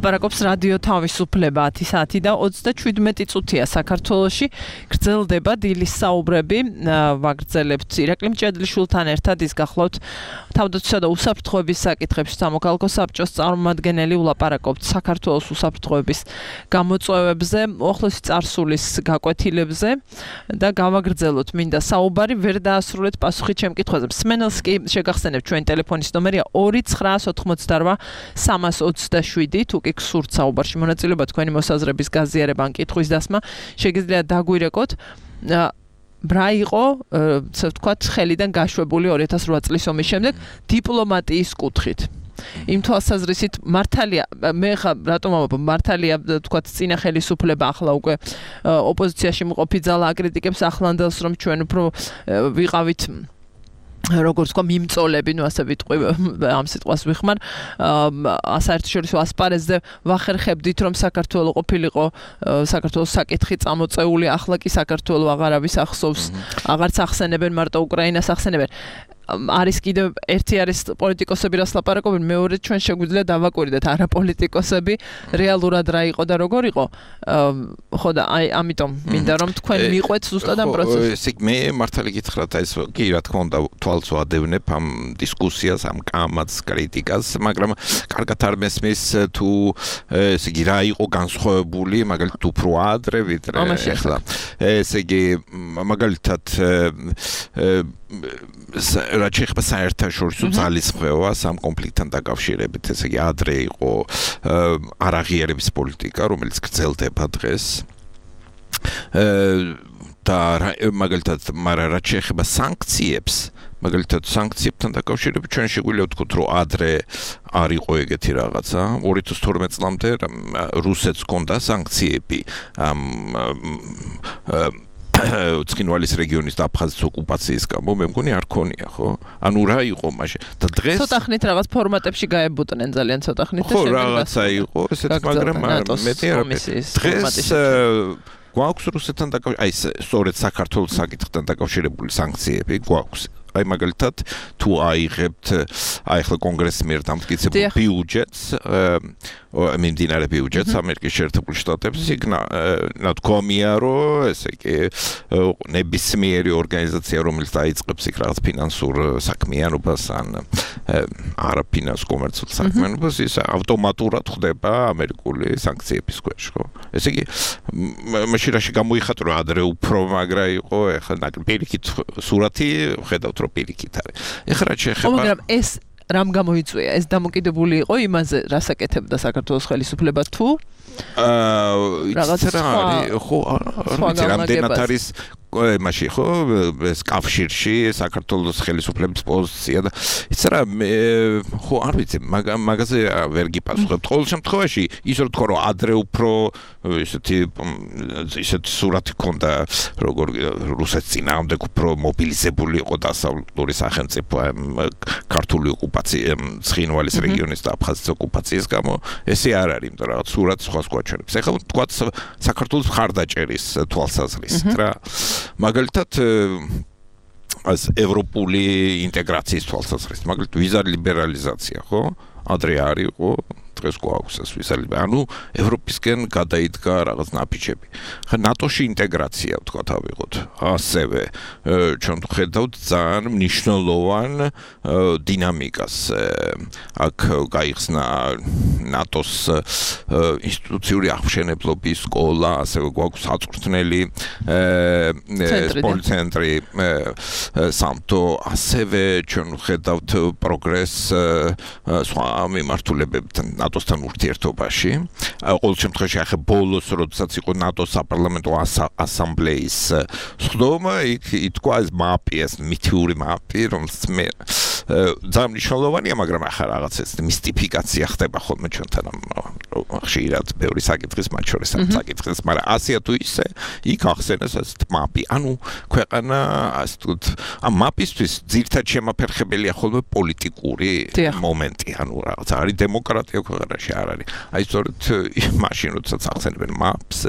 ლაპარაკობს რადიო თავისუფლება 10 საათი და 37 წუთია საქართველოში გრძელდება დილის საუბრები ვაგრძელებთ ირაკლი მჭედლიშვილთან ერთად ის გახლავთ თავდაცვისა და უსაფრთხოების საკითხებში სამოქალაქო საბჭოს წარმომადგენელი ვლაპარაკობთ საქართველოს უსაფრთხოების გამოწვევებზე ახლოსი წარსულის გაკვეთილებზე და გავაგრძელოთ მინდა საუბარი ვერ დაასრულეთ პასუხი ჩემ კითხვაზე მსმენელს კი შეგახსენებთ ჩვენი ტელეფონის ნომერია 2988 327 თუ კი გსურთ საუბარში მონაწილეობა თქვენი მოსაზრების გაზიარება ან კითხვის დასმა შეგიძლიათ დაგვირეკოთ ბრა იყო ასე ვთქვათ ხელიდან გაშვებული 2008 წლის ომის შემდეგ დიპლომატიის კუთხით იმ თვალსაზრისით მართალია მე ხა რატომ ამბობ მართალია ვთქვათ წინა ხელისუფლება ახლა უკვე ოპოზიციაში მყოფი ძალა აკრიტიკებს ახლანდელს რომ ჩვენ უფრო ვიყავით როგორც თქვა მიმწოლები, ნუ ასე ვიტყვი ამ სიტყვას ვიხმარ, საერთაშორისო ასპარეზზე ვახერხებდით რომ საქართველოს ყოფილიყო საქართველოს საკითხი წამოწეული, ახლა კი საქართველოს აღარავის ახსოვს, აღარც ახსენებენ მარტო უკრაინას ახსენებენ. არის კიდევ ერთი არის პოლიტიკოსები რას ლაპარაკობენ, მეორე ჩვენ შეგვიძლია დავაკვირდეთ არა პოლიტიკოსები რეალურად რა იყო და როგორ იყო. ხო და აი ამიტომ მინდა რომ თქვენ მიყვეთ ზუსტად ამ პროცესს. ესე მე მართალი გითხრათ აი ეს კი რა თქმა უნდა თვალს ვადევნებ ამ დისკუსიას, ამ კამათს, კრიტიკას, მაგრამ კარგად არ მესმის თუ ესე იგი რა იყო განსხვავებული, მაგალითად უფრო ადრე ვიდრე ახლა. ესე იგი მაგალითად რაც შეეხება საერთაშორისო ძალისხმევას ამ კონფლიქტთან დაკავშირებით, ესე იგი ადრე იყო არაღიარების პოლიტიკა, რომელიც გრძელდება დღეს. და მაგალითად, მაგრამ რაც შეეხება სანქციებს, მაგალითად სანქციებთან დაკავშირებით ჩვენ შეგვიძლია ვთქვათ, რომ ადრე არ იყო ეგეთი რაღაცა. 2012 წლამდე რუსეთს ჰქონდა სანქციები ცხინვალის რეგიონის და აფხაზეთის ოკუპაციის გამო მე მგონი არ ქონია, ხო? ანუ რა იყო მაშინ? და დღეს ცოტა ხნით რაღაც ფორმატებში გაებუტნენ ძალიან ცოტა ხნით და ხო, რაღაცა იყო, ესეც მაგრამ მეტი არ დღეს გვაქვს რუსეთთან დაკავშირებული, აი სწორედ საქართველოს საკითხთან დაკავშირებული სანქციები გვაქვს. აი მაგალითად თუ აიღებთ აი ახლა კონგრესის მიერ დამტკიცებულ ბიუჯეტს მიმდინარე ბიუჯეტს ამერიკის შეერთებულ შტატებში იქ ნათქვამია რომ ესე იგი ნებისმიერი ორგანიზაცია რომელიც დაიწყებს იქ რაღაც ფინანსურ საქმიანობას ან არაფინანს კომერციულ საქმიანობას ის ავტომატურად ხდება ამერიკული სანქციების ქვეშ ხო ესე იგი მაშინ რაში გამოიხატა რომ ადრე უფრო მაგრა იყო ახლა პირიქით სურათი ხედავთ რომ პირიქით არის ეხლა რა შეეხება მაგრამ ეს რამ გამოიწვია ეს დამოკიდებული იყო იმაზე რას აკეთებდა საქართველოს ხელისუფლება თუ რაღაც რა არის ხო რამდენად არის მაშინ ხო ეს კავშირში საქართველოს ხელისუფლების პოზიცია და იცი რა ხო არ ვიცი მაგაზე ვერ გიპასუხებ ყოველ შემთხვევაში ის რო თქვა რომ ადრე უფრო ისეთი სურათი ქონდა როგორ რუსეთის წინააღმდეგ უფრო მობილიზებული იყო დასავლური სახელმწიფო ქართული ოკუპაცია ცხინვალის რეგიონის და აფხაზეთის ოკუპაციის გამო ესე არ არის იმიტომ რაღაც სურათი სხვა გვაჩვენებს ეხლა თქვა საქართველოს მხარდაჭერის თვალსაზრისით რა მაგალითად ეს ევროპული ინტეგრაციის თვალსაზრისით მაგალითად ვიზა ლიბერალიზაცია ხო ადრე არ იყო დღეს გვაქვს ეს ვიზა ანუ ევროპისკენ გადაიდგა რაღაც ნაფიჩები ხა ნატოში ინტეგრაცია ვთქვათ ავიღოთ ასევე ჩვენ ხედავთ ძალიან მნიშვნელოვან დინამიკას აქ გაიხსნა ნატოს ინსტიტუციური აღმშენებლობის სკოლა ასევე გვაქვს საწვრთნელი სპორტცენტრი სამთო ასევე ჩვენ ხედავთ პროგრესს სხვა მიმართულებებთან ნატოსთან ურთიერთობაში. ყოველ შემთხვევაში ახლა ბოლოს როდესაც იყო ნატოს საპარლამენტო ასამბლეის სხდომა, იქ ითქვა ეს მაპი, ეს მითიური მაპი, რომელსაც მე ძალიან მნიშვნელოვანია, მაგრამ ახლა რაღაც ეს მისტიფიკაცია ხდება ხოლმე ჩვენთან ხშირად ბევრი საკითხის მათ შორის ამ საკითხის, მაგრამ ასია თუ ისე იქ ახსენეს ეს მაპი. ანუ ქვეყანა ასე ვთქვათ, ამ მაპისთვის ძირითადად შემაფერხებელია ხოლმე პოლიტიკური მომენტი, ანუ რაღაც არის დემოკრატია ქვეყანაში არ არის. აი სწორედ მაშინ როდესაც ახსენებენ მაპს,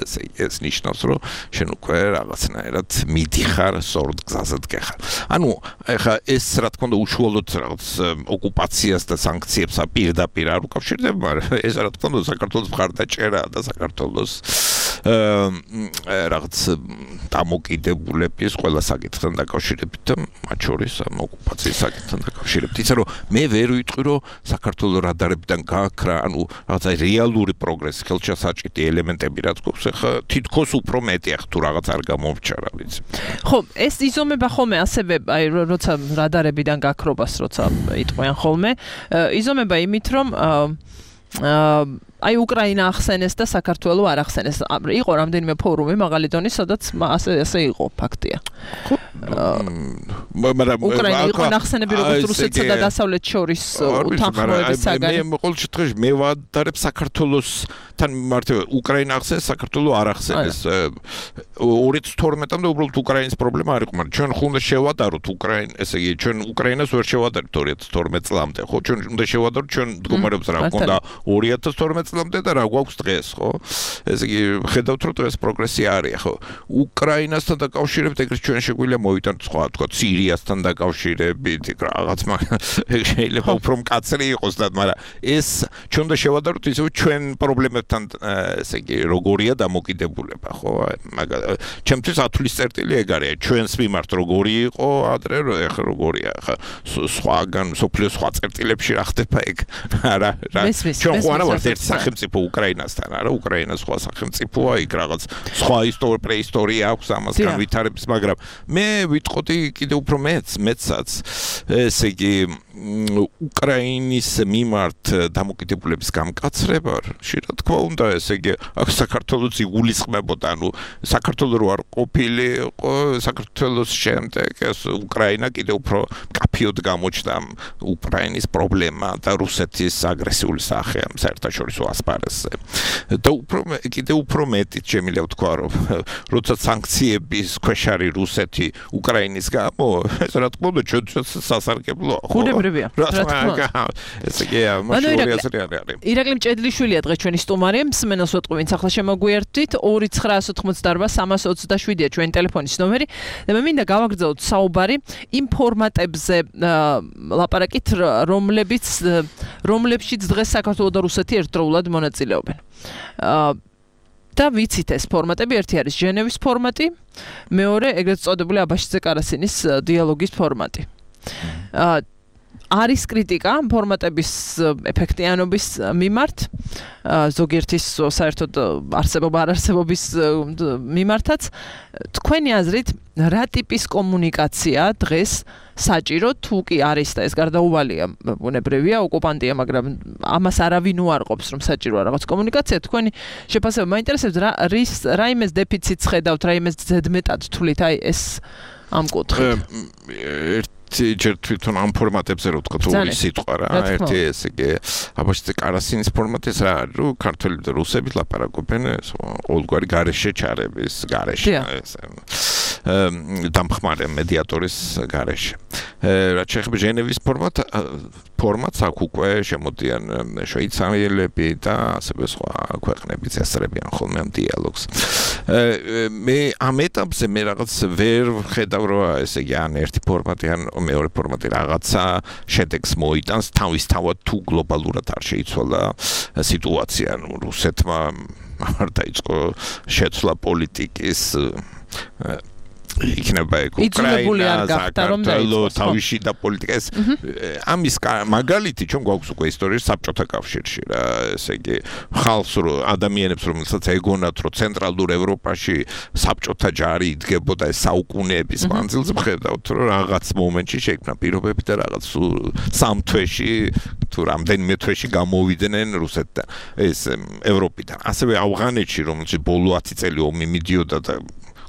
ეს ნიშნავს, რომ შენ უკვე რაღაცნაირად მიდიხარ სწორედ გზაზე დგეხარ. ანუ ეხა ეს რა თქმა უნდა უშუალოდ მხოლოდ რაღაც ოკუპაციას და სანქციებს პირდაპირ არ უკავშირდება, მაგრამ ეს რა თქმა უნდა საქართველოს მხარდაჭერაა და საქართველოს რაღაც დამოკიდებულების ყველა საკითხთან დაკავშირებით და მათ შორის ოკუპაციის საკითხთან დაკავშირებით. ისა რომ მე ვერ ვიტყვი რომ საქართველოს რადარებიდან გაქრა, ანუ რაღაცა რეალური პროგრესი, ხელშესაჭრელი ელემენტები რაც გვაქვს, ხა თითქოს უფრო მეტია თუ რაღაც არ გამომრჩა რა ვიცი. ხო, ეს იზომება ხოლმე ასევე, აი როცა რადარებიდან გაქრობას როცა იტყვიან ხოლმე, იზომება იმით რომ აი უკრაინა ახსენეს და საქართველოს არ ახსენეს. იყო რამდენიმე ფორუმი მაღალი დონის, სადაც ასე იყო ფაქტია. მაგრამ უკრაინა იყო ახსენები როგორც რუსეთსა და დასავლეთ შორის უთანხმოების საგანი. მე ყოველ შემთხვევაში მე ვადარებ საქართველოსთან მიმართებად უკრაინა ახსენეს, საქართველოს არ ახსენეს. 2012-მდე უბრალოდ უკრაინის პრობლემა არ იყო, მაგრამ ჩვენ ხუნდა შევადაროთ ესე იგი ჩვენ უკრაინას ვერ შევადარებთ 2012 წლამდე, ხო? ჩვენ უნდა შევადაროთ ჩვენ მდგომარეობს რა გქონდა 2012 წლამდე და რა გვაქვს დღეს, ხო? ესე იგი ხედავთ რომ დღეს პროგრესი არის, ხო? უკრაინასთან დაკავშირებით ეგრეთ ჩვენ შეგვიძლია მოვიტანოთ სხვა, თქვა სირიასთან დაკავშირებით რაღაც, მაგრამ შეიძლება უფრო მკაცრი იყოს და მაგრამ ეს ჩვენ უნდა შევადაროთ ისე ჩვენ პრობლემებთან ესე იგი როგორია დამოკიდებულება, ხო? ჩემთვის ათვლის წერტილი ეგ არის, ჩვენს მიმართ როგორი იყო ადრე, ეხლა როგორია, ხა სხვაგან სოფლიოს სხვა წერტილებში რა ხდება ეგ? არა, ჩვენ ხო არა ვართ ერთი სახელმწიფო უკრაინასთან, არა, უკრაინა სხვა სახელმწიფოა, იქ რაღაც სხვა პრეისტორია აქვს ამასთან ვითარების, მაგრამ მე ვიტყოდი კიდევ უფრო მეცაც, ესე იგი უკრაინის მიმართ დამოკიდებულების გამკაცრება, რა თქმა უნდა, ესე იგი აქ საქართველოს იგულისხმებოდა, ანუ საქართველოს რო არ ყოფილიყო, საქართველოს შემდეგ ეს უკრაინა კიდევ უფრო მკაფიოდ გამოჩნდა უკრაინის პრობლემა და რუსეთის აგრესიული სახე ამ საერთაშორისო ასპარეზზე. და კიდევ უფრო მეტიც შემიძლია ვთქვა, რომ როცა სანქციების ქვეშ არის რუსეთი უკრაინის გამო, ეს რა თქმა უნდა ჩვენთვის სასარგებლოა. ხუნებრივია. რა თქმა უნდა. ესე იგი, მასშტაბური აზრი არის. ირაკლი მჭედლიშვილია დღეს ჩვენი სტუმარი, მსმენელს ვეტყვი, ვინც ახლა შემოგვიერთდით, 2988327-ია ჩვენი ტელეფონის ნომერი და მე მინდა გავაგრძელოთ საუბარი იმ ფორმატებზე ლაპარაკით, რომლებშიც დღეს საქართველოს და რუსეთი ერთდროულად მონაწილეობენ. და ვიცით ეს ფორმატები, ერთი არის ჟენევის ფორმატი, მეორე ეგრეთ წოდებული აბაშიძე კარასინის დიალოგის ფორმატი. არის კრიტიკა ფორმატების ეფექტიანობის მიმართ, ზოგიერთის საერთოდ არსებობის მიმართაც. თქვენი აზრით, რა ტიპის კომუნიკაცია დღეს საჭირო, თუ კი არის და ეს გარდაუვალია, ბუნებრივია, ოკუპანტია, მაგრამ ამას არავინ უარყოფს, რომ საჭიროა რაღაც კომუნიკაცია. თქვენი შეფასება მაინტერესებს, რა იმეს დეფიციტს ხედავთ, რა იმეს ზედმეტად თვლით, აი ეს ამ კუთხით. ჯერ თვითონ ამ ფორმატებზე რო ვთქვა, ორი სიტყვა რა, ერთი ესე იგი აბაშიძე კარასინის ფორმატი ეს რა არის, რომ ქართველები და რუსები ლაპარაკობენ ყოველგვარი გარეშე ჩარების გარეშე, დამხმარე მედიატორის გარეშე. რაც შეეხება ჟენევის ფორმატს აქ უკვე შემოდიან შვეიცარიელები და ასევე სხვა ქვეყნებიც ესწრებიან ხოლმე ამ დიალოგს. მე ამ ეტაპზე მე რაღაც ვერ ხედავ რომ ესე იგი ან ერთი ფორმატი ან მეორე ფორმატი რაღაცა შედეგს მოიტანს თავისთავად თუ გლობალურად არ შეიცვალა სიტუაცია, ანუ რუსეთმა არ დაიწყო შეცვლა პოლიტიკის იქნება უკრაინა, საქართველოს თავში და პოლიტიკა ეს ამის მაგალითი ჩვენ გვაქვს უკვე ისტორიის საბჭოთა კავშირში რა, ესე იგი ხალხს რო ადამიანებს რომელსაც ეგონათ რომ ცენტრალურ ევროპაში საბჭოთა ჯარი იდგებოდა ეს საუკუნეების მანძილზე, ხედავთ რომ რაღაც მომენტში შეიქმნა პირობები და რაღაც სამ თვეში თუ რამდენიმე თვეში გამოვიდნენ რუსეთთან ეს ევროპიდან. ასევე ავღანეთში რომელშიც ბოლო 10 წელი ომი მიდიოდა და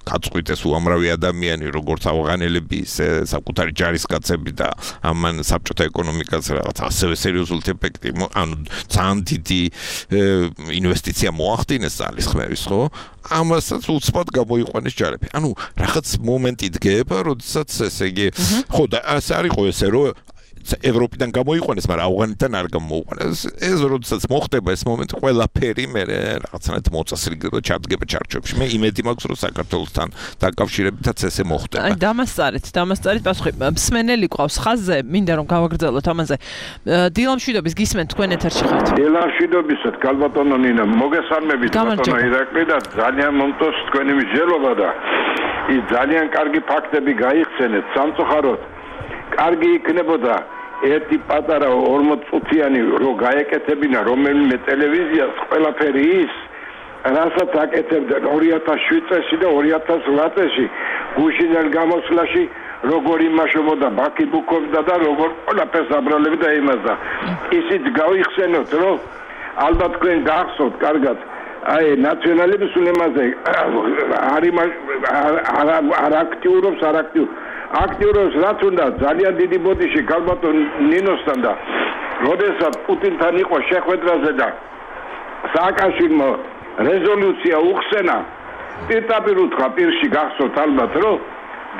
გაწყვიტეს უამრავი ადამიანი, როგორც ავღანელები, ისე საკუთარი ჯარისკაცები და ამან საბჭოთა ეკონომიკას რაღაც ასევე სერიოზული ეფექტი, ანუ ძალიან დიდი ინვესტიცია მოახდინეს ძალისხმევის, ხო? ამასაც უცბად გამოიყვანეს ჯარები. ანუ რაღაც მომენტი დგება, როდესაც ესე იგი, ხო და ასე არისო ესე რომ ევროპიდან გამოიყვანეს, მაგრამ ავღანეთიდან არ გამოიყვანეს. ეს როდესაც მოხდება ეს მომენტი, ყველაფერი მე რაღაცნაირად მოწესრიგდება, ჩადგება ჩარჩოებში. მე იმედი მაქვს, რომ საქართველოსთან დაკავშირებითაც ესე მოხდება. აი დამასწარეთ პასუხი. მსმენელი ყავს ხაზზე, მინდა რომ გავაგრძელოთ ამაზე. დილამშვიდობის გისმენთ თქვენ ეთერში ხართ. დილამშვიდობისად, გალბატონო ნინა, მოგესალმებით ბატონო ირაკლი და ძალიან მომწონს თქვენი მსჯელობა და ის ძალიან კარგი ფაქტები გაიხსენეთ. სამწუხაროდ, კარგი იქნებოდა ერთი პატარა 40 წუთიანი რო გაეკეთებინა რომელიმე ტელევიზიას ყველაფერი ის რასაც აკეთებდნენ 2007 წელს და 2008 წელს გუშინელ გამოსვლაში როგორ იმაშობოდა ბაკი ბუქობდა და როგორ ყველაფერს აბრალებდა იმასდა. ისიც გავიხსენოთ, რომ ალბათ თქვენ გახსოვთ კარგად აი ნაციონალების უნემაზე არ აქტიურობს აქტიურობს რაც უნდა ძალიან დიდი ბოდიში გალბატონ ნინოსთან და როდესაც პუტინთან იყო შეხვედრაზე და სააკაშვილო რეზოლუცია უხსენა პირდაპირ უთხრა პირში გახსოვთ ალბათ რომ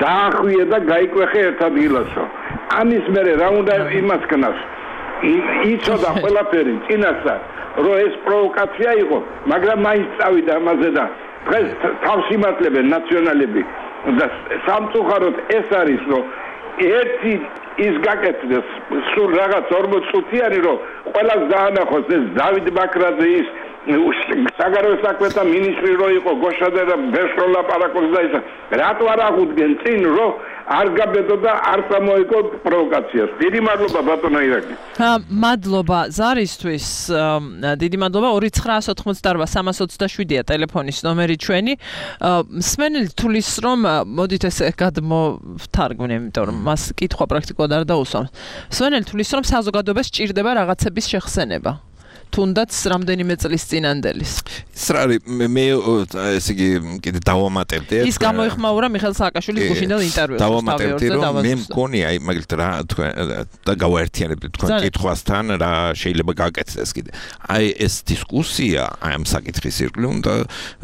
დაახვიე და გაიკვეხე ერთ ადგილასო ამის მერე რა უნდა იმას ქნას იცოდა ყველაფერი წინასწარ რომ ეს პროვოკაცია იყო მაგრამ მაინც წავიდა ამაზე და დღეს თავს იმართლებენ ნაციონალები და სამწუხაროდ ეს არის რომ ერთი ის გაკეთდეს სულ რაღაც 40 წუთიანი რომ ყველას დაანახოს ეს დავით ბაქრაძე ის საგარეო საქმეთა მინისტრი რო იყო გოშადა და ბესრო ლაპარაკობს და ის რატო არ აღუდგენ წინ რომ არ გაბედო და არ წამოიგო პროვოკაციას. დიდი მადლობა ბატონო ირაკლი. მადლობა ზარისთვის. დიდი მადლობა 2988-327-ია ტელეფონის ნომერი ჩვენი. მსმენელი თulis რომ მოდით ესე გადმოვთარგმნე, იმიტომ რომ მას კითხვა პრაქტიკულად არ დაუსვამს. მსმენელი თulis რომ საზოგადოებას სჭირდება რაღაცების შეხსენება. თუნდაც რამდენიმე წლის წინანდელის. ის არის მე ესე იგი კიდე დავამატებდი ის გამოიხმაურა მიხეილ სააკაშვილის გუშინდელ ინტერვიუს. დავამატებდი რომ მე მგონი აი მაგალითად რა თქვენ და გავაერთიანებდი თქვენ კითხვასთან რა შეიძლება გაკეთდეს კიდე. აი ეს დისკუსია აი ამ საკითხის ირგვლივ უნდა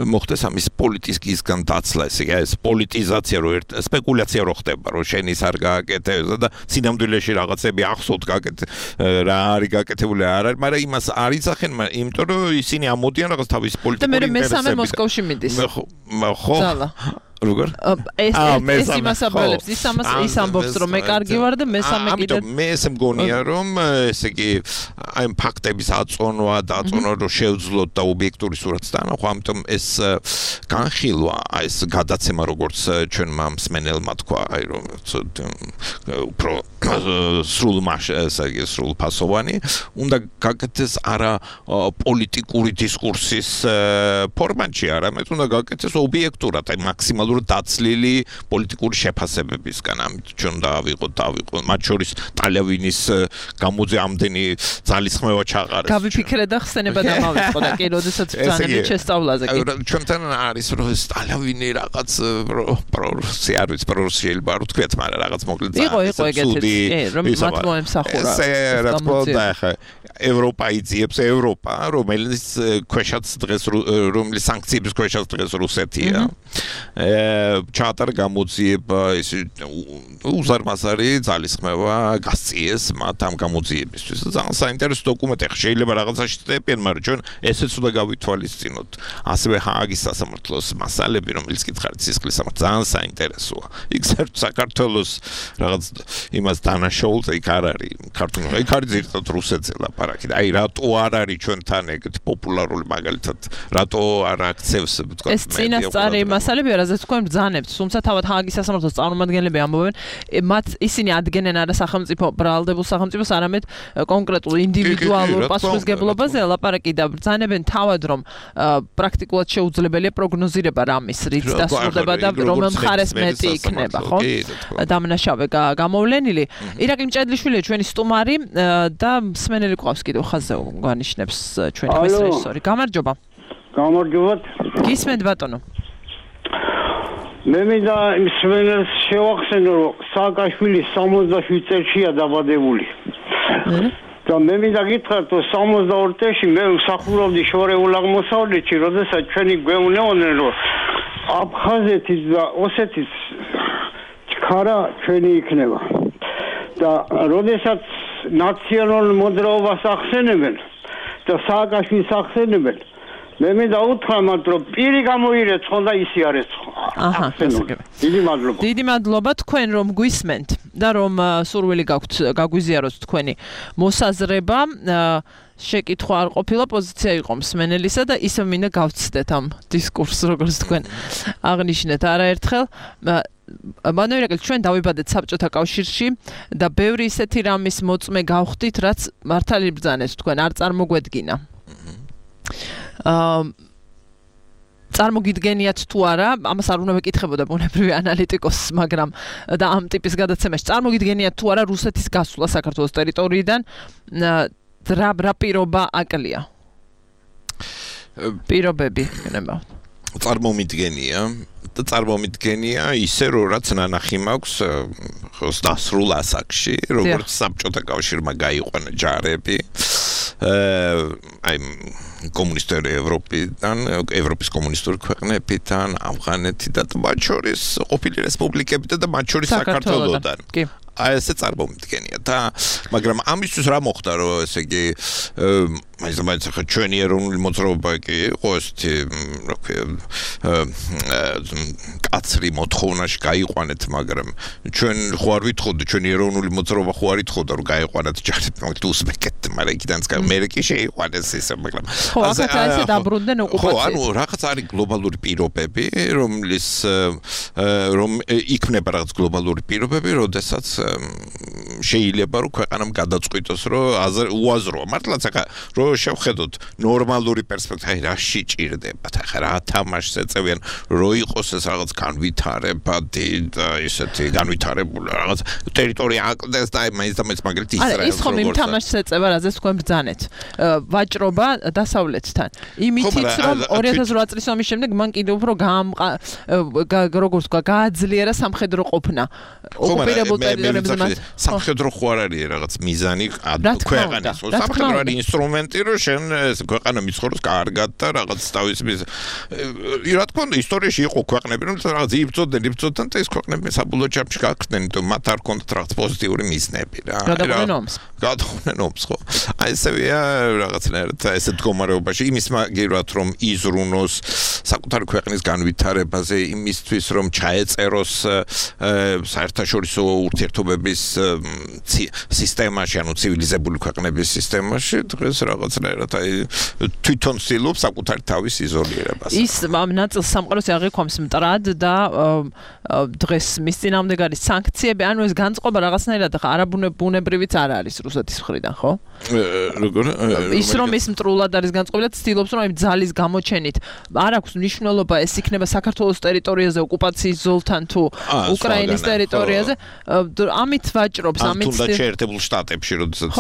მოხდეს ამის პოლიტიკისგან დაცლა ესე იგი ეს პოლიტიზაცია რო სპეკულაცია რო ხდება რომ შენ ის არ გააკეთებს და სინამდვილეში რაღაცები ახსოვთ გაკეთე რა არის გაკეთებული არ არის მაგრამ იმას არიცახენ იმიტომ რომ ისინი ამოდიან რაღაც თავის პოლიტიკური ინტერესები და მე მესამე მოსკოვში მიდის ხო როგორ ეს იმასაბელებს ის ამბობს რომ მე კარგი ვარ და მესამე კიდე მე ესე მგონია რომ ესე იგი აი ფაქტების აწონვა რომ შევძლოთ და ობიექტური სურათს დაანახო ამიტომ ეს განხილვა აი ეს გადაცემა როგორც ჩვენმა მსმენელმა თქვა აი რომ უფრო სრულ ფასოვანი უნდა გაკეთდეს არა პოლიტიკური დისკურსის ფორმატში არამედ უნდა გაკეთდეს ობიექტურად აი მაქსიმალურად დაცლილი პოლიტიკური შეფასებებისგან ამით ჩვენ დავიღოთ მათ შორის ტალევინის გამოძე ამდენი ძალისხმევა ჩაყარეს გავიფიქრე და ხსენება დამავიწყო და კი როდესაც ბრძანებით შესწავლაზე კი ჩვენთან არის რომ ეს ტალევინი რაღაც პრორუსი არ ვიცი პრორუსიელი ბარო თქვით მაგრამ რაღაც მოკლედ იყო ეგეთი რომ მათ მოემსახურა რა თქმა უნდა ხა ევროპა იძიებს ევროპა რომელიც ქვეშაც დღეს რომლის სანქციების ქვეშაც დღეს რუსეთია ჩაატარა გამოძიება ის უზარმაზარი ძალისხმევა გასწიეს მათ ამ გამოძიებისთვის ძალიან საინტერესო დოკუმენტი შეიძლება რაღაცაში წდებიან მაგრამ ჩვენ ესეც უნდა გავითვალისწინოთ ასევე ჰააგის სასამართლოს მასალები რომელიც კითხარით სისხლის სამართლ ძალიან საინტერესოა იქ საქართველოს რაღაც იმას დანაშაულს იქ არ არის ქართული იქ არის ზირთად რუსეთზე ლაპარაკი და აი რატო არ არის ჩვენთან ეგეთი პოპულარული მაგალითად რატო არ აქცევს თქვა ეს წინასწარი მასალებია რაზეც თქვენ ბრძანებთ თუმცა თავად ჰააგის სასამართლოს წარმომადგენლები ამბობენ მათ ისინი ადგენენ არა სახელმწიფო ბრალდებულ სახელმწიფოს არამედ კონკრეტულ ინდივიდუალურ პასუხისგებლობაზე ლაპარაკი და ბრძანებენ თავად რომ პრაქტიკულად შეუძლებელია პროგნოზირება რამის რით დასრულდება და რომელ მხარეს მეტი იქნება ხო დამნაშავე გამოვლენილი ირაკლი მჭედლიშვილია ჩვენი სტუმარი და მსმენელი ყავს კიდევ ხაზზე გვანიშნებს ჩვენი პრესრესორი გამარჯობა გისმენთ ბატონო მე მინდა მსმენელს შევახსენო რომ სააკაშვილი 67 წელშია დაბადებული და მე მინდა გითხრათ რომ 62 წელში მე მსახურობდი შორეულ აღმოსავლეთში როდესაც ჩვენი გვეუბნებოდნენ რომ აფხაზეთის და ოსეთის ჩქარა ჩვენი იქნება და როდესაც ნაციონალურ მოძრაობას ახსენებენ და სააკაშვილის ახსენებენ მე მინდა უთხრა მათ რომ პირი გამოირეცხო და ისი არ ეცხო. დიდი მადლობა თქვენ რომ გვისმენთ და რომ სურვილი გაქვთ გაგვიზიაროთ თქვენი მოსაზრება. შეკითხვა არ ყოფილა, პოზიცია იყო მსმენელისა და ისევ მინდა გავცდეთ ამ დისკურსს, როგორც თქვენ აღნიშნეთ არაერთხელ. მანუელ ჩვენ დავიბადეთ საბჭოთა კავშირში და ბევრი ისეთი რამის მოწმე გავხდით, რაც მართალი ბრძანეთ თქვენ არ წარმოგვედგინა. წარმოგიდგენიათ თუ არა, ამას არ უნდა მეკითხებოდა ბუნებრივი ანალიტიკოსს, მაგრამ და ამ ტიპის გადაცემაში წარმოგიდგენიათ თუ არა რუსეთის გასვლა საქართველოს ტერიტორიიდან რა პირობა აკლია? პირობები გნებავთ. წარმომიდგენია ისე რომ რაც ნანახი მაქვს დასრულ ასაკში, როგორც საბჭოთა კავშირმა გაიყვანა ჯარები აი კომუნისტური ევროპის კომუნისტური ქვეყნებიდან, ავღანეთიდან და მათ შორის ყოფილი რესპუბლიკებიდან და მათ შორის საქართველოდან. აი ესე წარმომიდგენია და მაგრამ ამისთვის რა მოხდა რომ ესე იგი მაინც ახლა ჩვენი ეროვნული მოძრაობა კი იყო ესეთი რა ქვია კაცრი მოთხოვნაში გაიყვანეთ მაგრამ ჩვენ ხო არ ვითხოვდი ჩვენი ეროვნული მოძრაობა ხო არ ითხოვდა რომ გაიყვანათ ჯარები მაგით უსმეკეთ მაგრამ იქიდან მე კი შეიყვანეს ისე მაგრამ ხო ახლა ესე დაბრუნდნენ ოკუპაციით ხო ანუ რაღაც არის გლობალური პირობები რომ იქნება რაღაც გლობალური პირობები როდესაც შეიძლება რომ ქვეყანამ გადაწყვიტოს რომ უაზროა მართლაც ახლა რომ შევხედოთ ნორმალური პერსპექტივა რა შეჭირდებათ ახლა რა თამაშს ეწევიან რომ იყოს ეს რაღაც განვითარებადი და ისეთი განვითარებული რაღაც ტერიტორია აკლდეს და მაინც მაგალითად ისრაელს ის ხომ იმ თამაშს ეწევა რაზეც თქვენ ბრძანეთ ვაჭრობა დასავლეთთან იმითიც რომ 2008 წლის ომის შემდეგ მან კიდევ უფრო როგორც თქვა გააძლიერა სამხედრო ყოფნა ოკუპირებულ ტერიტორიებზე სამხედრო ხო არ არის რაღაც მიზანი ქვეყანის სამხედრო არის ინსტრუმენტი რომ შენ ქვეყანა მიცხოვროს კარგად და რაღაც თავის რა თქმა უნდა ისტორიაში იყო ქვეყნები რომ რაღაც იბრძოდნენ და ეს ქვეყნები საბოლოო ჯამში გაქრდნენ და მათ არ ჰქონდათ რაღაც პოზიტიური მიზნები რა გადაყვნენ ომს ხო აი ესეა რაღაცნაირად ესე მდგომარეობაში იმის მაგერად რომ იზრუნოს საკუთარი ქვეყნის განვითარებაზე იმისთვის რომ ჩაეწეროს საერთაშორისო ურთიერთობების სისტემაში ანუ ცივილიზებული ქვეყნების სისტემაში დღეს რაღაცნაირად აი თვითონ ცდილობს საკუთარ თავის იზოლირებას ის ამ ნაწილს სამყაროს აღიქვამს მტრად და დღეს მის წინააღმდეგ არის სანქციები ანუ ეს განწყობა რაღაცნაირად არაბუნებრივიც არ არის რუსეთის მხრიდან ხო როგორ ის რომ ის მტრულად არის განწყობილი და ცდილობს რომ აი ძალის გამოჩენით არ აქვს მნიშვნელობა ეს იქნება საქართველოს ტერიტორიაზე ოკუპაციის ზოლთან თუ უკრაინის ტერიტორიაზე ამით ვაჭრობს ამით თუნდაც შეერთებულ შტატებში როდესაც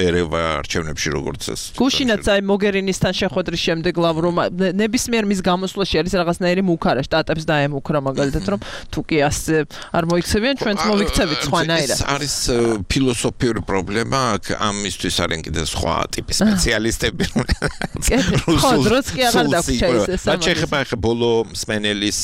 ერევა არჩევნებში როგორც ეს გუშინაც აი მოგერინისთან შეხვედრის შემდეგ ლავროვ ნებისმიერ მის გამოსვლაში არის რაღაცნაირი მუქარა შტატებს დაემუქრა მაგალითად რომ თუ კი ასე არ მოიქცევიან ჩვენც მოვიქცევით სხვანაირად ეს არის ფილოსოფიური პრობლემა ამისთვის არიან კიდე სხვა ტიპის სპეციალისტები ხო დროც კი აღარ დაგვრჩა ეს რა შეიძლება ახლა ბოლო სმენელის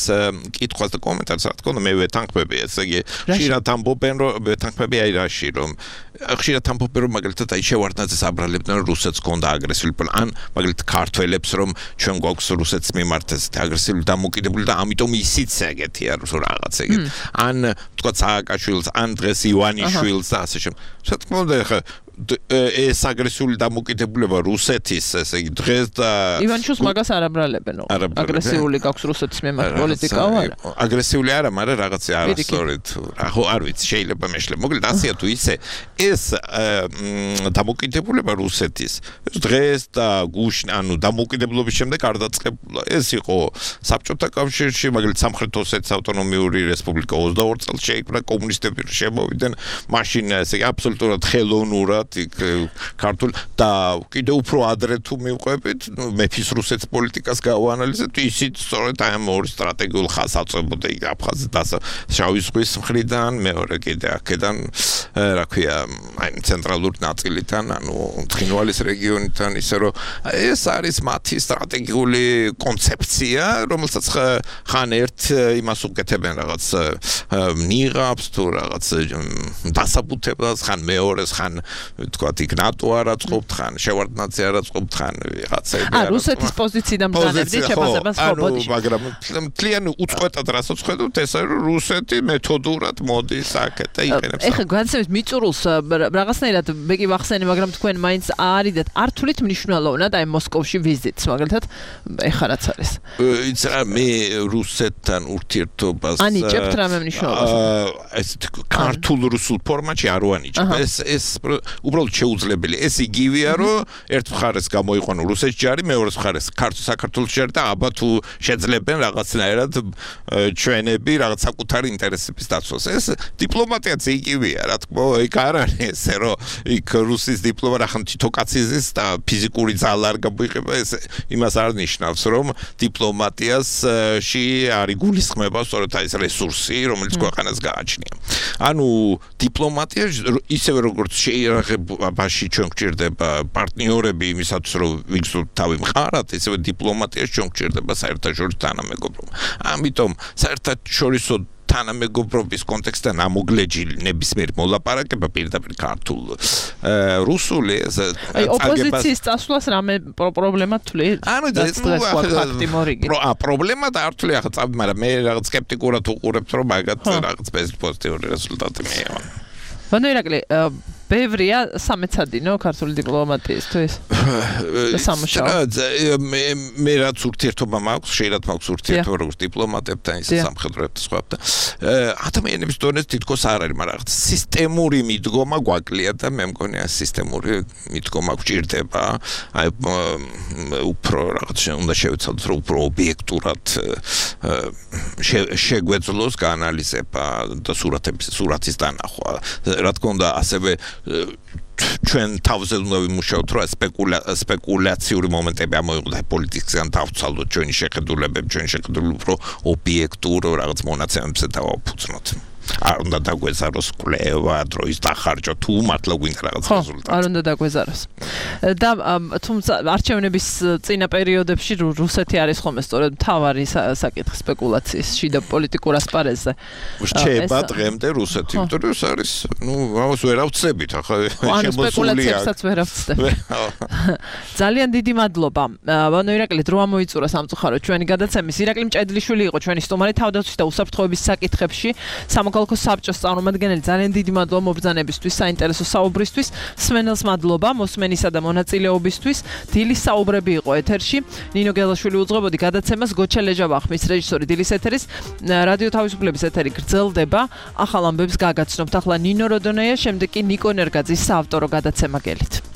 კითხვას და კომენტარს რა თქმა უნდა მე ვეთანხმები ესე იგი ხშირად ამბობენ რომ ვეთანხმები აი რაში რომ ხშირად ამბობენ რომ მაგალითად აი შევარდნაძეს აბრალებდნენ რომ რუსეთს ჰქონდა აგრესიული ან მაგალითად ქართველებს რომ ჩვენ გვაქვს რუსეთს მიმართ ეს აგრესიული დამოკიდებული და ამიტომ ისიც ეგეთია რომ რაღაც ეგეთ ან თქვა სააკაშვილს ან დღეს ივანიშვილს და ასე შემდეგ რა თქმა უნდა ხა ეს აგრესიული დამოკიდებულება რუსეთის ესე იგი დღეს და ივანიშვილს მაგას არ აბრალებენ აგრესიული გაქვს რუსეთის მიმართ პოლიტიკა არა აგრესიული არა მაგრამ რაღაცა არასწორად ხო არ ვიცი შეიძლება მეშლე მოკლედ ასეა თუ ისე ეს დამოკიდებულება რუსეთის დღეს და გუშინ ანუ დამოკიდებულობის შემდეგ არ დაწყებულა ეს იყო საბჭოთა კავშირში მაგალითად სამხრეთ ოსეთის ავტონომიური რესპუბლიკა 22 წელს შეიქმნა კომუნისტები შემოვიდნენ მაშინ ესე იგი აბსოლუტურად ხელოვნურად ნამდვილად იქ ქართული და კიდევ უფრო ადრე თუ მივყვებით, მეფის რუსეთის პოლიტიკას გავანალიზებთ, ისიც სწორედ აი ამ ორი სტრატეგიულ ხაზს აწევებოდა იქ აფხაზი და შავი ზღვის მხრიდან, მეორე კიდე აქედან, რა ქვია, აი ცენტრალური ნაწილიდან, ანუ ცხინვალის რეგიონიდან, ისე რომ ეს არის მათი სტრატეგიული კონცეფცია, რომელსაც ხან ერთ იმას უკეთებენ რაღაც ნიღაბს თუ რაღაც დასაბუთებას, ხან მეორეს, ხან თქვათ იქ ნატო არ აწყობთ, ხან შევარდნაძე არ აწყობთ, ხან რაღაცები არ რუსეთის პოზიციიდან ბრძანებდით შეფასებას ხო ბოდიში. მაგრამ მთლიანი უწყვეტად რასაც ხედავთ, ეს არის რუსეთი მეთოდურად მოდის აქეთ და იყენებს. ეხლა განსაკუთრებით მიწურულს რაღაცნაირად მე კი ვახსენე, მაგრამ თქვენ მაინც არიდეთ არ თulit მნიშვნელოვნად აი მოსკოვში ვიზიტს, მაგალითად ეხლა რაც არის. იცი რა მე რუსეთთან ურთიერთობას ანიჭებთ რამე მნიშვნელობას? ეს ქართულ რუსულ ფორმატში არ ვანიჭებ. ეს უბრალოდ შეუძლებელი. ეს იგივეა, რომ ერთ მხარეს გამოიყვანო რუსეთის ჯარი, მეორე მხარეს საქართველოს ჯარი და აბა თუ შეძლებენ რაღაცნაირად ჩვენები რაღაც საკუთარი ინტერესების დაცვას. ეს დიპლომატიაც იგივეა, რა თქმა უნდა, იქ არ არის ესე, რომ იქ რუსის დიპლომატია ხან თითო კაცის და ფიზიკური ძალა არ გამოიყება, ეს იმას არ ნიშნავს, რომ დიპლომატიაში არის გულისხმება სწორედ აი ეს რესურსი, რომელიც ქვეყანას გააჩნია. ანუ დიპლომატია ისევე როგორც შეიარაღებაში ჩვენ გვჭირდება პარტნიორები იმისათვის რომ ვიგრძნოთ თავი მხარად, ისევე დიპლომატიაში ჩვენ გვჭირდება საერთაშორისო თანამეგობრობა. ამიტომ საერთაშორისო თანამეგობრობის კონტექსტიდან ამოგლეჯილი ნებისმიერ მოლაპარაკება პირდაპირ ქართულ რუსული აი ოპოზიციის წასვლას რამე პრობლემა თვლი? ანუ ეს პრობლემა და არ თვლი ახლა, მაგრამ მე რაღაც სკეპტიკურად უყურებ, რომ მაგათ რაღაც პოზიტიური რეზულტატი მეევა. ბანო ირაკლი, ბევრია სამეცადინო ქართული დიპლომატიისთვის. მე რაც ურთიერთობა მაქვს, შეიძლება მაქვს ურთიერთობა როგორც დიპლომატებთან, ისე სამხედროებთან სხვაებთან. ადამიანების დონეზე თითქოს არ არის, მაგრამ რაღაც სისტემური მიდგომა გვაკლია და მე მგონია სისტემური მიდგომა გვჭირდება. აი უფრო რაღაც უნდა შევეცადოთ, რომ უფრო ობიექტურად შეგვეძლოს გაანალიზება და სურათის დანახვა. რა თქმა უნდა, ასევე ჩვენ თავზე უნდა ვიმუშაოთ, რომ სპეკულაციური მომენტები ამოიღოთ პოლიტიკისგან დავცალოთ ჩვენი შეხედულებები, უფრო ობიექტურ რაღაც მონაცემებზე დავაფუძნოთ. არ უნდა დაგვეზაროს კვლევა, დროის დახარჯვა, თუ მართლა გვინდა რაღაც რეზულტატი. არ უნდა დაგვეზაროს. და თუმცა არჩევნების წინა პერიოდებში რუსეთი არის ხოლმე სწორედ მთავარი საკითხი სპეკულაციის შიდა პოლიტიკურ ასპარეზზე. რჩება დღემდე რუსეთი, იმიტომ რომ ეს არის, ამას ვერ ავწევით, ახლა სპეკულაციებსაც ვერ ავწევთ. ძალიან დიდი მადლობა. ბანო ირაკლი, დრო ამოიწურა სამწუხაროდ ჩვენი გადაცემის. ირაკლი მჭედლიშვილი იყო ჩვენი სტუმარი თავდაცვის და უსაფრთხოების საკითხებში. სამოქალაქო საბჭოს წარმომადგენელი, ძალიან დიდი მადლობა მობრძანებისთვის, საინტერესო საუბრისთვის. სმენელს მადლობა მოსმენისა და მონაწილეობისთვის. დილის საუბრები იყო ეთერში. ნინო გელაშვილი უძღვებოდი გადაცემას, გოჩა ლეჯავახმის რეჟისორი დილის ეთერის. რადიო თავისუფლების ეთერი გრძელდება. ახალ ამბებს გაგაცნობთ. ახლა ნინო როდონეია, შემდეგ კი ნიკო ნერგაძის საავტორო გადაცემა გელით.